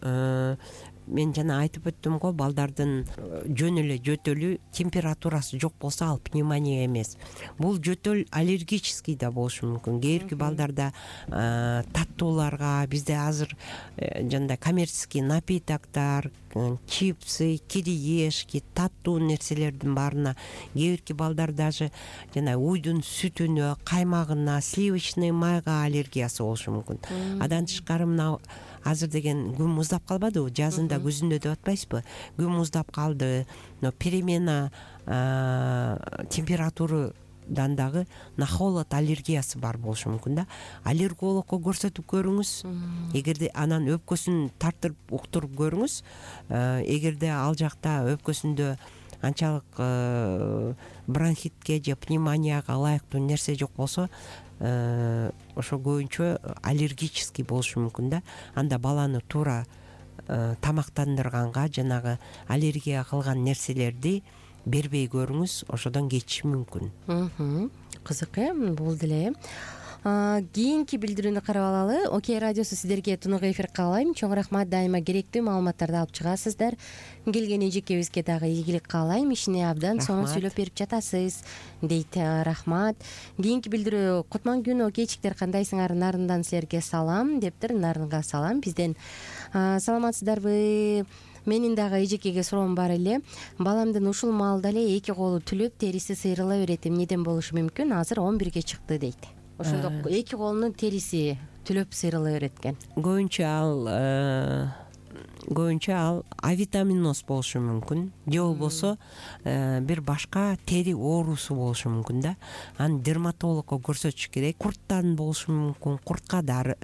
мен жана айтып өттүм го, балдардын жөн эле жөтөлү, температурасы жок болсо ал пневмония эмес. Бул жөтөл аллергический да болушу мүмкүн. Кээ бирки балдарда таттууларга, бизде азыр жандай коммерческий напитоктор, чипсы, кириешки, таттуу нерселердин баарына, кээ бирки балдар даже жана уйдун сүтүнө, каймагына, сливочный майга аллергиясы болушу мүмкүн. Адан тышкары мына азыр деген күн муздап калбадыбы? Жазында, күзүндө деп атпайсызбы? Күн муздап калды, но перемена температурадан дагы на холод аллергиясы бар болушу мүмкүн да. Аллергологко көрсөтүп көрүңүз. Эгерде анан өпкөсүн тартып уктуруп көрүңүз. Эгерде ал жакта өпкөсүндө анчалык бронхитке же пневмонияга ылайыктуу нерсе жок болсо, ошо көбүнчө аллергический болушу мүмкүн да. Анда баланы туура тамактандырганга, жанагы аллергия кылган нерселерди бербей көрүңүз, ошодон кетиши мүмкүн. Кызык э, бул деле. Кийинки билдирүүнү карап алалы. Окей радиосу сиздерге тунук эфир каалайм. Чоң рахмат, дайыма керектүү маалыматтарды алып чыгасыздар. Келген эжекебизге дагы ийгилик каалайм. Ишине абдан сонун сүйлөп берип жатасыз дейт. Рахмат. Кийинки билдирүү: кутман күн окейчиктер, кандайсыңар? Нарындан силерге салам дептир. Нарынга салам бизден. Саламатсыздарбы? Менин дагы эжекеге суроом бар эле. Баламдын ушул маалда эле эки колу түлөп, териси сыйрыла берет. Эмнеден болушу мүмкүн? Азыр он бирге чыкты дейт. Ошондо эки колунун териси түлөп сыйрыла берет экен. Көбүнчө ал көбүнчө ал авитаминоз болушу мүмкүн, же болбосо бир башка тери оорусу болушу мүмкүн да. Аны дерматологко көрсөтүш керек. Курттан болушу мүмкүн. Куртка да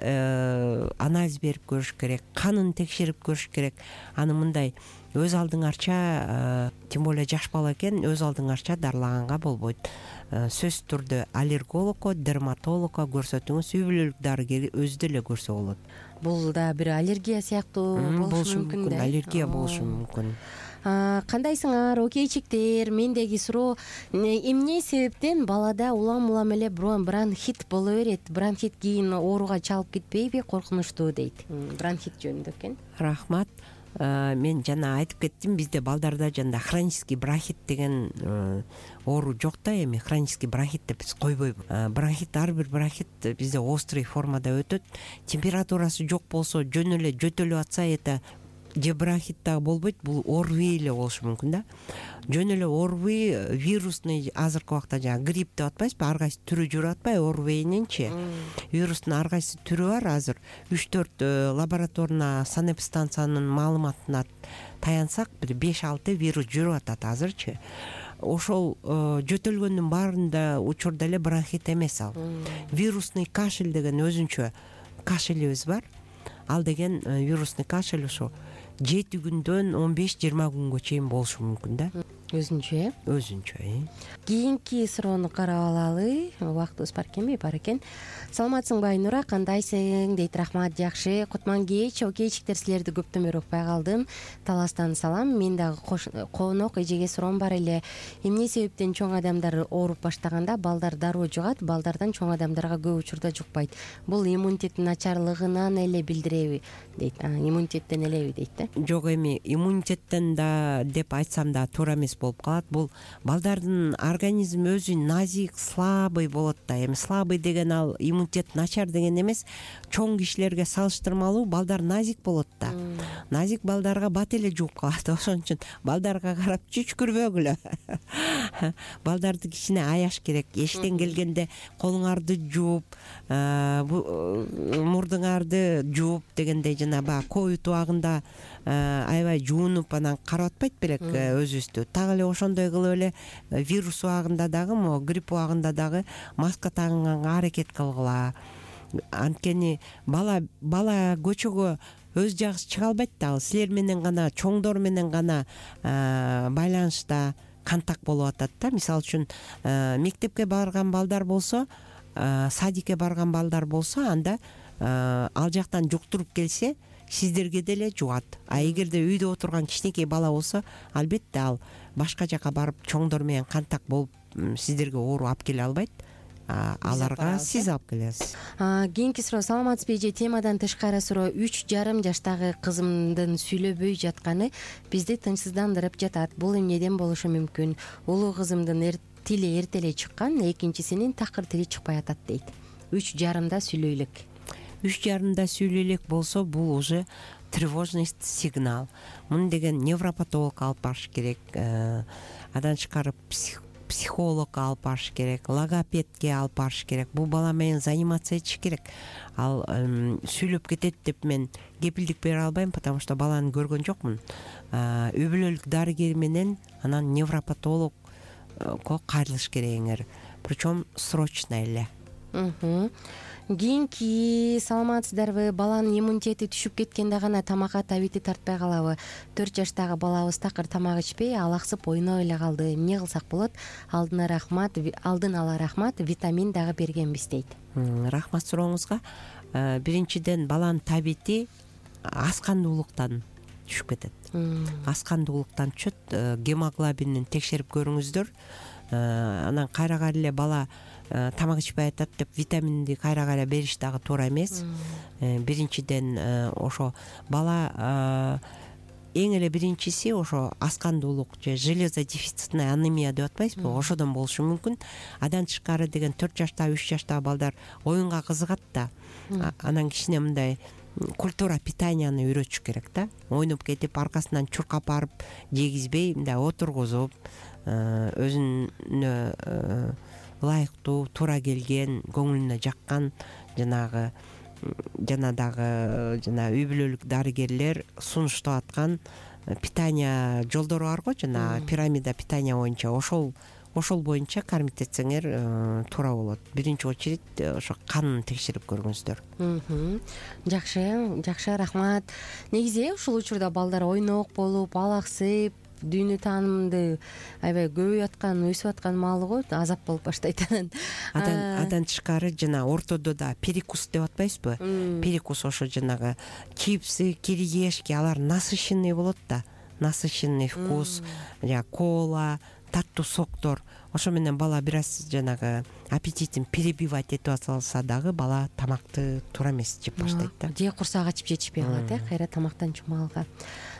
анализ берип көрүш керек, канын текшерип көрүш керек. Аны мындай өз алдыңарча, тем более жаш бала экен, өз алдыңарча дарылаганга болбойт. Сөзсүз түрдө аллергологко, дерматологко көрсөтүңүз. Үй бүлөлүк дарыгер өзү деле көрсө болот. Бул да бир аллергия сыяктуу болушу мүмкүн да. Аллергия болушу мүмкүн. Кандайсыңар, окейчиктер? Мендеги суроо: эмне себептен балада улам улам эле бронхит боло берет? Бронхит кийин ооруга чалып кетпейби? Коркунучтуу дейт. Бронхит жөнүндө экен. Рахмат. Мен жана айтып кеттим, бизде балдарда жанда хронический бронхит деген оору жок да. Эми хронический бронхит деп биз койбойбуз. Бронхит, ар бир бронхит бизде острый формада өтөт. Температурасы жок болсо, жөн эле жөтөлүп атса, это же бронхит дагы болбойт, бул орви эле болушу мүмкүн да. Жөн эле орви вирусный, азыркы убакта жана грипп деп атпайсызбы, ар кайсы түрү жүрүп атпайбы орвининчи. Вирустун ар кайсы түрү бар. Азыр үч төрт лабораторный санэпидстанциянын маалыматына таянсак, бир беш алты вирус жүрүп атат азырчы. Ошол жөтөлгөндүн баарында учурда эле бронхит эмес ал. Вирусный кашель деген өзүнчө кашелибиз бар. Ал деген вирусный кашель ошо жети күндөн он беш жыйырма күнгө чейин болушу мүмкүн да. Өзүнчө э? Өзүнчө э. Кийинки суроону карап алалы. Убактыбыз бар экенби? Бар экен. Саламатсыңбы Айнура, кандайсың дейт. Рахмат, жакшы. Кутман кеч, окейчиктер, силерди көптөн бери укпай калдым. Таластан салам. Мен дагы конок эжеге суроом бар эле. Эмне себептен чоң адамдар ооруп баштаганда балдар дароо жугат, балдардан чоң адамдарга көп учурда жукпайт? Бул иммунитеттин начарлыгынан эле билдиреби дейт. Иммунитеттен элеби дейт да. Жок, эми иммунитеттен да деп айтсам да туура эмес болуп калат. Бул балдардын организми өзү назик, слабый болот да. Эми слабый деген ал иммунитет начар деген эмес. Чоң кишилерге салыштырмалуу балдар назик болот да. Назик балдарга бат эле жууп калат. Ошон үчүн балдарга карап чүчкүрбөгүлө. Балдарды кичине аяш керек. Эшиктен келгенде колуңарды жууп, мурдуңарды жууп дегендей, жана баягы ковид убагында аябай жуунуп анан карап атпайт белек өзүбүздү. Так эле ошондой кылып эле вирус убагында дагы, могу грипп убагында дагы маска тагынганга аракет кылгыла. Анткени бала бала көчөгө өз жагысы чыга албайт да. Силер менен гана, чоңдор менен гана байланышта, контакт болуп атат да. Мисалы үчүн мектепке барган балдар болсо, садикке барган балдар болсо, анда ал жактан жуктуруп келсе, сиздерге деле жугат. А эгерде үйдө отурган кичинекей бала болсо, албетте ал башка жака барып чоңдор менен контакт болуп сиздерге оору алып келе албайт. Аларга сиз алып келесиз. Кийинки суроо: саламатсызбы эже? Темадан тышкары суроо. Үч жарым жаштагы кызымдын сүйлөбөй жатканы бизди тынчсыздандырып жатат. Бул эмнеден болушу мүмкүн? Улуу кызымдын тили эрте эле чыккан, экинчисинин такыр тили чыкпай атат дейт. Үч жарымда сүйлөй элек. Үч жарымда сүйлөй элек болсо, бул уже тревожный сигнал. Муну деген невропатолог алып барыш керек. Адан тышкары психологко алып барыш керек, логопедке алып барыш керек. Бул бала менен заниматься этиш керек. Ал сүйлөп кетет деп мен кепилдик бере албайм, потому что баланы көргөн жокмун. Үй бүлөлүк дарыгер менен анан невропатологко кайрылыш керегиңер. Причем срочно эле. Кийинки: саламатсыздарбы? Баланын иммунитети түшүп кеткенде гана тамакка табити тартпай калабы? төрт жаштагы балабыз такыр тамак ичпей, алаксып ойноп эле калды. Эмне кылсак болот? Алдына рахмат, алдын ала рахмат, витамин дагы бергенбиз дейт. Рахмат сурооңузга. Биринчиден, баланын табити аскандуулуктан түшүп кетет. Аскандуулуктан түшөт. Гемоглобинин текшерип көрүңүздөр. Анан кайра кайра эле бала тамак ичпей атат деп витаминди кайра кайра бериш дагы туура эмес. Биринчиден ошо бала эң эле биринчиси ошо аскандуулук же железодефицитная анемия деп атпайсызбы, ошодон болушу мүмкүн. Андан тышкары деген төрт жаштагы үч жаштагы балдар оюнга кызыгат да, анан кичине мындай культура питанияны үйрөтүш керек да. Ойноп кетип аркасынан чуркап барып жегизбей, мындай отургузуп, өзүнө ылайыктуу, туура келген, көңүлүнө жаккан жанагы жана дагы жана үй бүлөлүк дарыгерлер сунуштап аткан питания жолдору бар го, жана пирамида питания боюнча, ошол ошол боюнча кармиттетсеңер туура болот. Биринчи очередь ошо канын текшерип көрүңүздөр. Жакшы, жакшы, рахмат. Негизи ушул учурда балдар ойнок болуп, алаксып, дүйнө таанымды аябай көбөйүп аткан, өсүп аткан маалы го, азап болуп баштайт анан. Андан тышкары жана ортодо да перекус деп атпайсызбы? Перекус ошо жанагы чипсы, кириешки, алар насыщенный болот да. Насыщенный вкус, жана кола, таттуу соктор. Ошо менен бала бир аз жанагы аппетитин перебивать этип атса дагы бала тамакты туура эмес жеп баштайт да. Же курсак ачып жетишпей калат, э, кайра тамактан чумалга.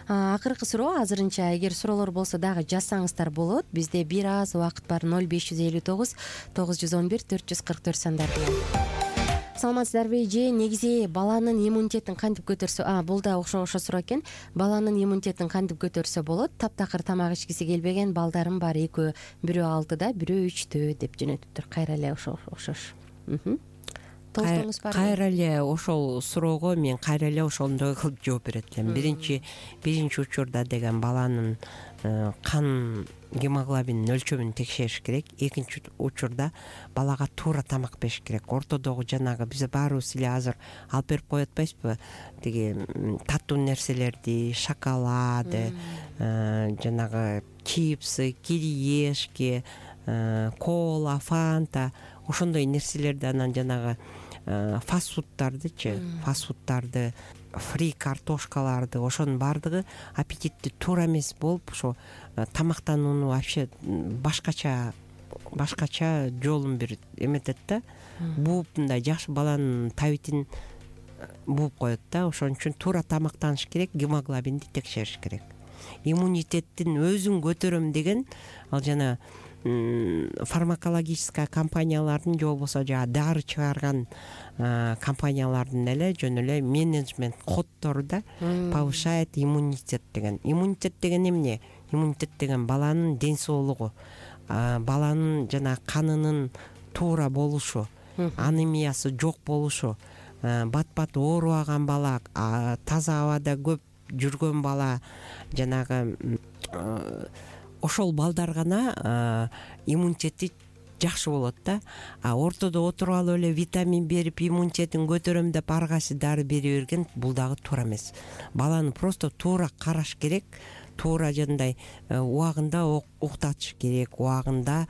Акыркы суроо азырынча, эгер суроолор болсо дагы жазсаңыздар болот. Бизде бир аз убакыт бар. ноль беш жүз элүү тогуз тогуз жүз он бир төрт жүз кырк төрт сандар менен. Саламатсыздарбы эже? Негизи баланын иммунитетин кантип көтөрсө, а бул да ошо ошо суроо экен. Баланын иммунитетин кантип көтөрсө болот? Таптакыр тамак ичкиси келбеген балдарым бар, экөө, бирөө алтыда, бирөө үчтө деп жөнөтүптүр. Кайра эле ошо окшош. Кайра эле ошол суроого мен кайра эле ошондой кылып жооп берет элем. Биринчи биринчи учурда деген баланын кан гемоглобин өлчөмүн текшериш керек. Экинчи учурда балага туура тамак бериш керек. Ортодогу жанагы биз баарыбыз эле азыр алып берип коюп атпайсызбы? Тиги таттуу нерселерди, шоколад, жанагы чипсы, кириешки, кола, фанта, ошондой нерселерди, анан жанагы фастфудтардычы, фастфудтарды, фри картошкаларды, ошонун баардыгы аппетитти туура эмес болуп, ошо тамактанууну вообще башкача башкача жолун бир эметет да. Бууп мындай жакшы баланын табитин бууп коет да. Ошон үчүн туура тамактаныш керек, гемоглобинди текшериш керек. Иммунитеттин өзүн көтөрөм деген ал жана фармакологическая компаниялардын же болбосо жаа дары чыгарган компаниялардын эле жөн эле менеджмент коддору да, повышает иммунитет деген. Иммунитет деген эмне? Иммунитет деген баланын ден соолугу, баланын жана канынын туура болушу, анемиясы жок болушу, бат-бат оорубаган бала, таза абада көп жүргөн бала, жанагы ошол балдар гана иммунитети жакшы болот да. А ортодо отуруп алып эле витамин берип иммунитетин көтөрөм деп ар кайсы дары бере берген бул дагы туура эмес. Баланы просто туура караш керек, туура жандай убагында уктатыш керек, убагында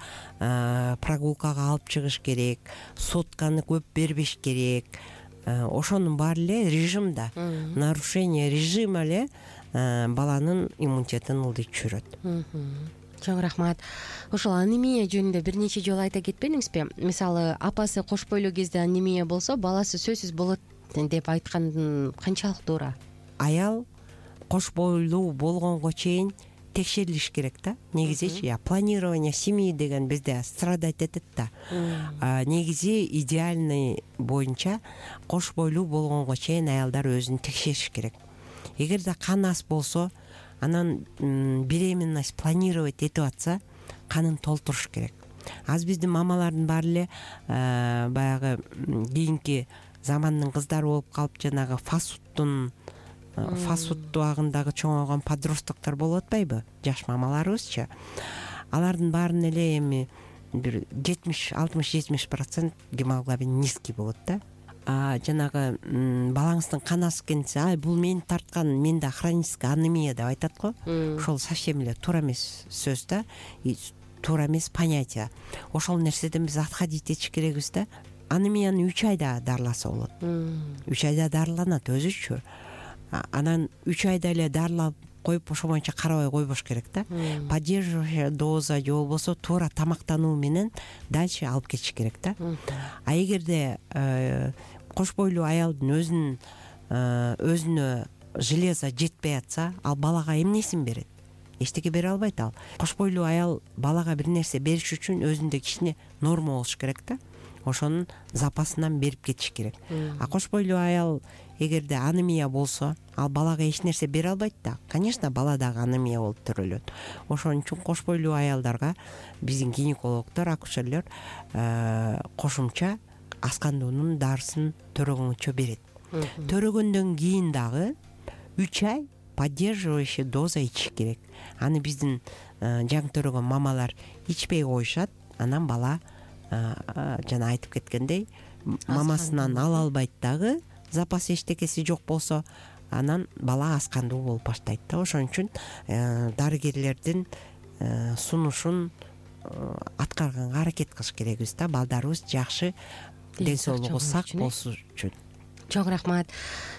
прогулкага алып чыгыш керек, сотканы көп бербеш керек. Ошонун баары эле режимда, нарушение режима эле баланын иммунитетин ылдый түшүрөт. Чоң рахмат. Ошол анемия жөнүндө бир нече жолу айта кетпедиңизби? Мисалы, апасы кош бойлуу кезде анемия болсо, баласы сөзсүз болот деп айткан канчалык туура? Аял кош бойлуу болгонго чейин текшерилиш керек да. Негизичи я планирование семьи деген бизде страдать этет да. Негизи идеальный боюнча кош бойлуу болгонго чейин аялдар өзүн текшериш керек. Эгерде кан аз болсо, анан беременность планировать этип атса, канын толтуруш керек. Аз биздин мамалардын баары эле баягы кийинки замандын кыздары болуп калып, жанагы фастфудтун фастфуд абагындагы чоңойгон подростоктор болуп атпайбы? Жаш мамаларыбызчы. Алардын баарын эле эми бир жетимиш алтымыш жетимиш процент гемоглобин низкий болот да. А жанагы балаңыздын кан аз экенсе, ай бул мени тарткан, менде хроническая анемия деп айтат го. Ошол совсем эле туура эмес сөз да, туура эмес понятие. Ошол нерседен биз отходить этиш керекбиз да. Анемияны үч айда дарыласа болот. үч айда дарыланат өзүчү. Анан үч айда эле дарылап коюп ошо боюнча карабай койбош керек да. Поддерживающая доза же болбосо туура тамактануу менен дальше алып кетиш керек да. А эгерде кош бойлуу аялдын өзүнүн өзүнө железо жетпей атса, ал балага эмнесин берет? Эчтеке бере албайт ал. Кош бойлуу аял балага бир нерсе бериш үчүн өзүндө кичине норма болуш керек да. Ошонун запасынан берип кетиш керек. А кош бойлуу аял эгерде анемия болсо, ал балага эч нерсе бере албайт да. Конечно, бала дагы анемия болуп төрөлөт. Ошон үчүн кош бойлуу аялдарга биздин гинекологдор, акушерлер кошумча аскандуунун дарысын төрөгөнгөнчө берет. Төрөгөндөн кийин дагы үч ай поддерживающий доза ичиш керек. Аны биздин жаңы төрөгөн мамалар ичпей коюшат. Анан бала жана айтып кеткендей мамасынан ала албайт дагы, запас эчтекеси жок болсо, анан бала аскандуу болуп баштайт да. Ошон үчүн дарыгерлердин сунушун аткарганга аракет кылыш керекбиз да. Балдарыбыз жакшы, ден соолугу сак болуш үчүн. Чоң рахмат.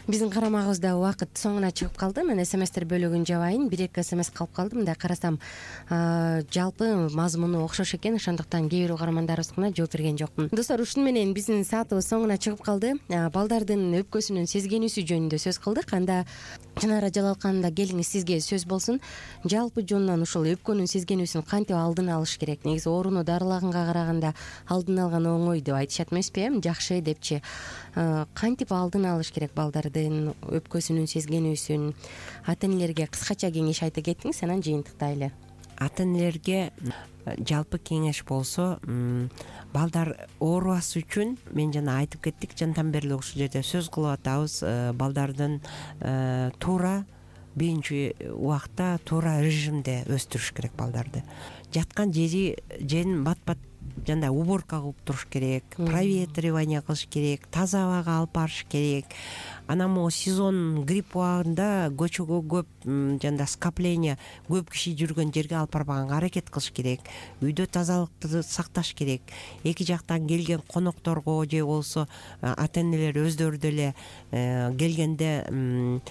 Биздин карамагыбызда убакыт соңуна чыгып калды. Мен смстер бөлүгүн жабайын. Бир эки смс калып калды. Мындай карасам, жалпы мазмуну окшош экен. Ошондуктан кээ бир угармандарыбызга жооп берген жокмун. Достор, ушуну менен биздин саатыбыз соңуна чыгып калды. Балдардын өпкөсүнүн сезгенүүсү жөнүндө сөз кылдык. Анда Чынара Жалалканова келиңиз, сизге сөз болсун. Жалпы жонунан ушул өпкөнүн сезгенүүсүн кантип алдын алыш керек? Негизи орууну дарылаганга караганда алдын алган оңой деп айтышат эмеспи, эми жакшы депчи. Кантип алдын алыш керек балдардын өпкөсүнүн сезгенүүсүн? Ата энелерге кыскача кеңеш айта кетиңиз, анан жыйынтыктайлы. Ата энелерге жалпы кеңеш болсо, балдар оорубас үчүн мен жана айтып кеттик, жантан бери ушул жерде сөз кылып атабыз. Балдардын туура биринчи убакта туура режимде өстүрүш керек балдарды. Жаткан жери жерин бат-бат жандай уборка кылып туруш керек, проветривание кылыш керек, таза абага алып барыш керек. Анан могу сезон грипп убагында көчөгө көп жанда скопление, көп киши жүргөн жерге алып барбаганга аракет кылыш керек. Үйдө тазалыкты сакташ керек. Эки жактан келген конокторго же болсо ата энелер өздөрү деле келгенде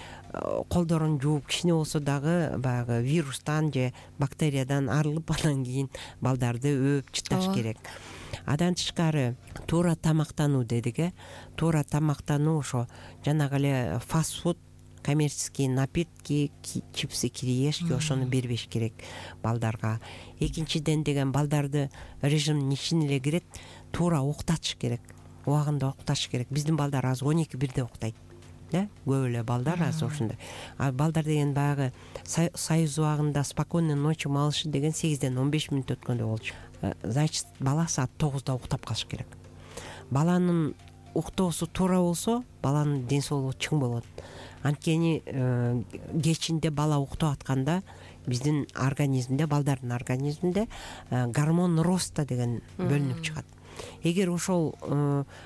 колдорун жууп, кичине болсо дагы баягы вирустан же бактериядан арылып, андан кийин балдарды өөп чыташ керек. Адан тышкары туура тамактануу дедик, э туура тамактануу ошо жанагы эле фастфуд, коммерческий напитки, чипсы, кириешки ошону бербеш керек балдарга. Экинчиден деген балдарды режимдин ичине эле кирет, туура уктатыш керек. Убагында уктатыш керек. Биздин балдар азыр он эки бирде уктайт. Көп эле балдар азыр ушундай. А балдар деген баягы союз убагында спокойной ночи малыши деген сегизден он беш мүнөт өткөндө болчу. Значит, бала саат тогузда уктап калыш керек. Баланын уктоосу туура болсо, баланын ден соолугу чың болот. Анткени кечинде бала уктап атканда биздин организмде, балдардын организминде гормон роста деген бөлүнүп чыгат. Эгер ошол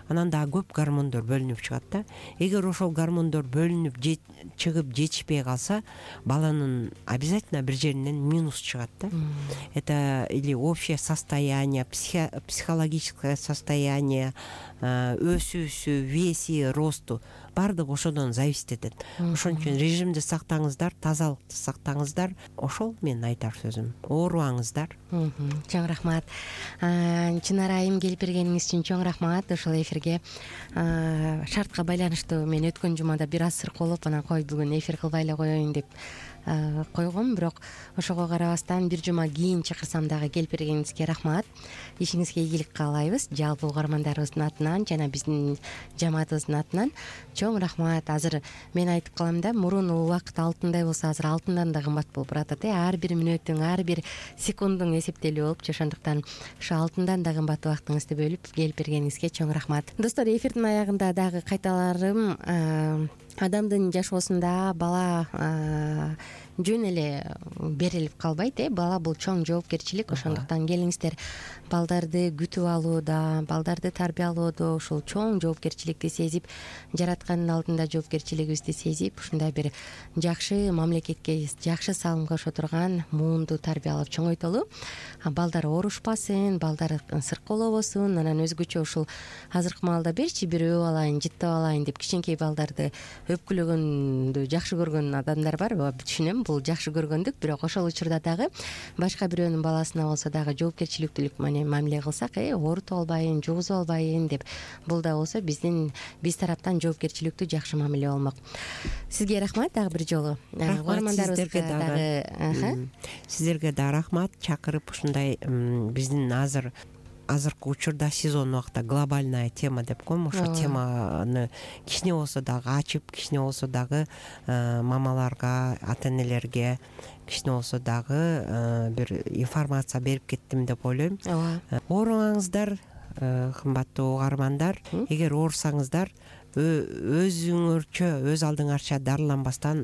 анан дагы көп гормондор бөлүнүп чыгат да. Эгер ошол гормондор бөлүнүп чыгып жетишпей калса, баланын обязательно бир жеринен минус чыгат да. Это или общее состояние, психологическое состояние, өсүүсү, веси, росту баардыгы ошодон зависит этет. Ошон үчүн режимди сактаңыздар, тазалыкты сактаңыздар. Ошол менин айтар сөзүм. Оорубаңыздар. Чоң рахмат. Чынара айым келип бергениңиз үчүн чоң рахмат. Ошол эфирге шартка байланыштуу мен өткөн жумада бир аз сырколоп, анан кой бүгүн эфир кылбай эле коеюн деп койгом, бирок ошого карабастан бир жума кийин чакырсам дагы келип бергениңизге рахмат. Ишиңизге ийгилик каалайбыз. Жалпы угармандарыбыздын атынан жана биздин жамаатыбыздын атынан чоң рахмат. Азыр мен айтып калам да, мурун убакыт алтындай болсо, азыр алтындан да кымбат болуп баратат. Ар бир мүнөттүң, ар бир секундуң эсептелип болупчу. Ошондуктан ушу алтындан да кымбат убактыңызды бөлүп келип бергениңизге чоң рахмат. Достор, эфирдин аягында дагы кайталарым, адамдын жашоосунда бала жөн эле берилип калбайт, э бала бул чоң жоопкерчилик. Ошондуктан келиңиздер, балдарды күтүп алууда, балдарды тарбиялоодо ушул чоң жоопкерчиликти сезип, жараткандын алдында жоопкерчилигибизди сезип, ушундай бир жакшы мамлекетке, жакшы салым кошо турган муунду тарбиялап чоңойтолу. Балдар оорушпасын, балдар сыркоолобосун, анан өзгөчө ушул азыркы маалда берчи бир өөп алайын, жыттап алайын деп кичинекей балдарды өпкүлөгөндү жакшы көргөн адамдар бар. Түшүнөм, бул жакшы көргөндүк, бирок ошол учурда дагы башка бирөөнүн баласына болсо дагы жоопкерчиликтүүлүк мамиле кылсак, э оорутуп албайын, жугузуп албайын деп, бул да болсо биздин биз тараптан жоопкерчиликтүү жакшы мамиле болмок. Сизге рахмат дагы бир жолу. Угармандарыбызга дагы сиздерге да рахмат, чакырып ушундай биздин азыр азыркы учурда сезон убакта глобальная тема деп коем, ошол теманы кичине болсо дагы ачып, кичине болсо дагы мамаларга, ата энелерге кичине болсо дагы бир информация берип кеттим деп ойлойм. Ооба. Оорубаңыздар, кымбаттуу угармандар. Эгер оорусаңыздар, өзүңөрчө, өз алдыңарча дарыланбастан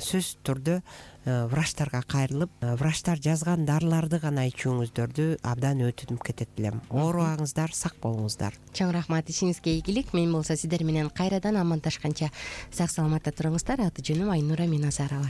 сөзсүз түрдө врачтарга кайрылып, врачтар жазган дарыларды гана ичүүңүздөрдү абдан өтүнүп кетет элем. Оорубаңыздар, сак болуңуздар. Чоң рахмат, ишиңизге ийгилик. Мен болсо сиздер менен кайрадан амандашканча сак саламатта туруңуздар. Аты жөнүм Айнура Миназарова.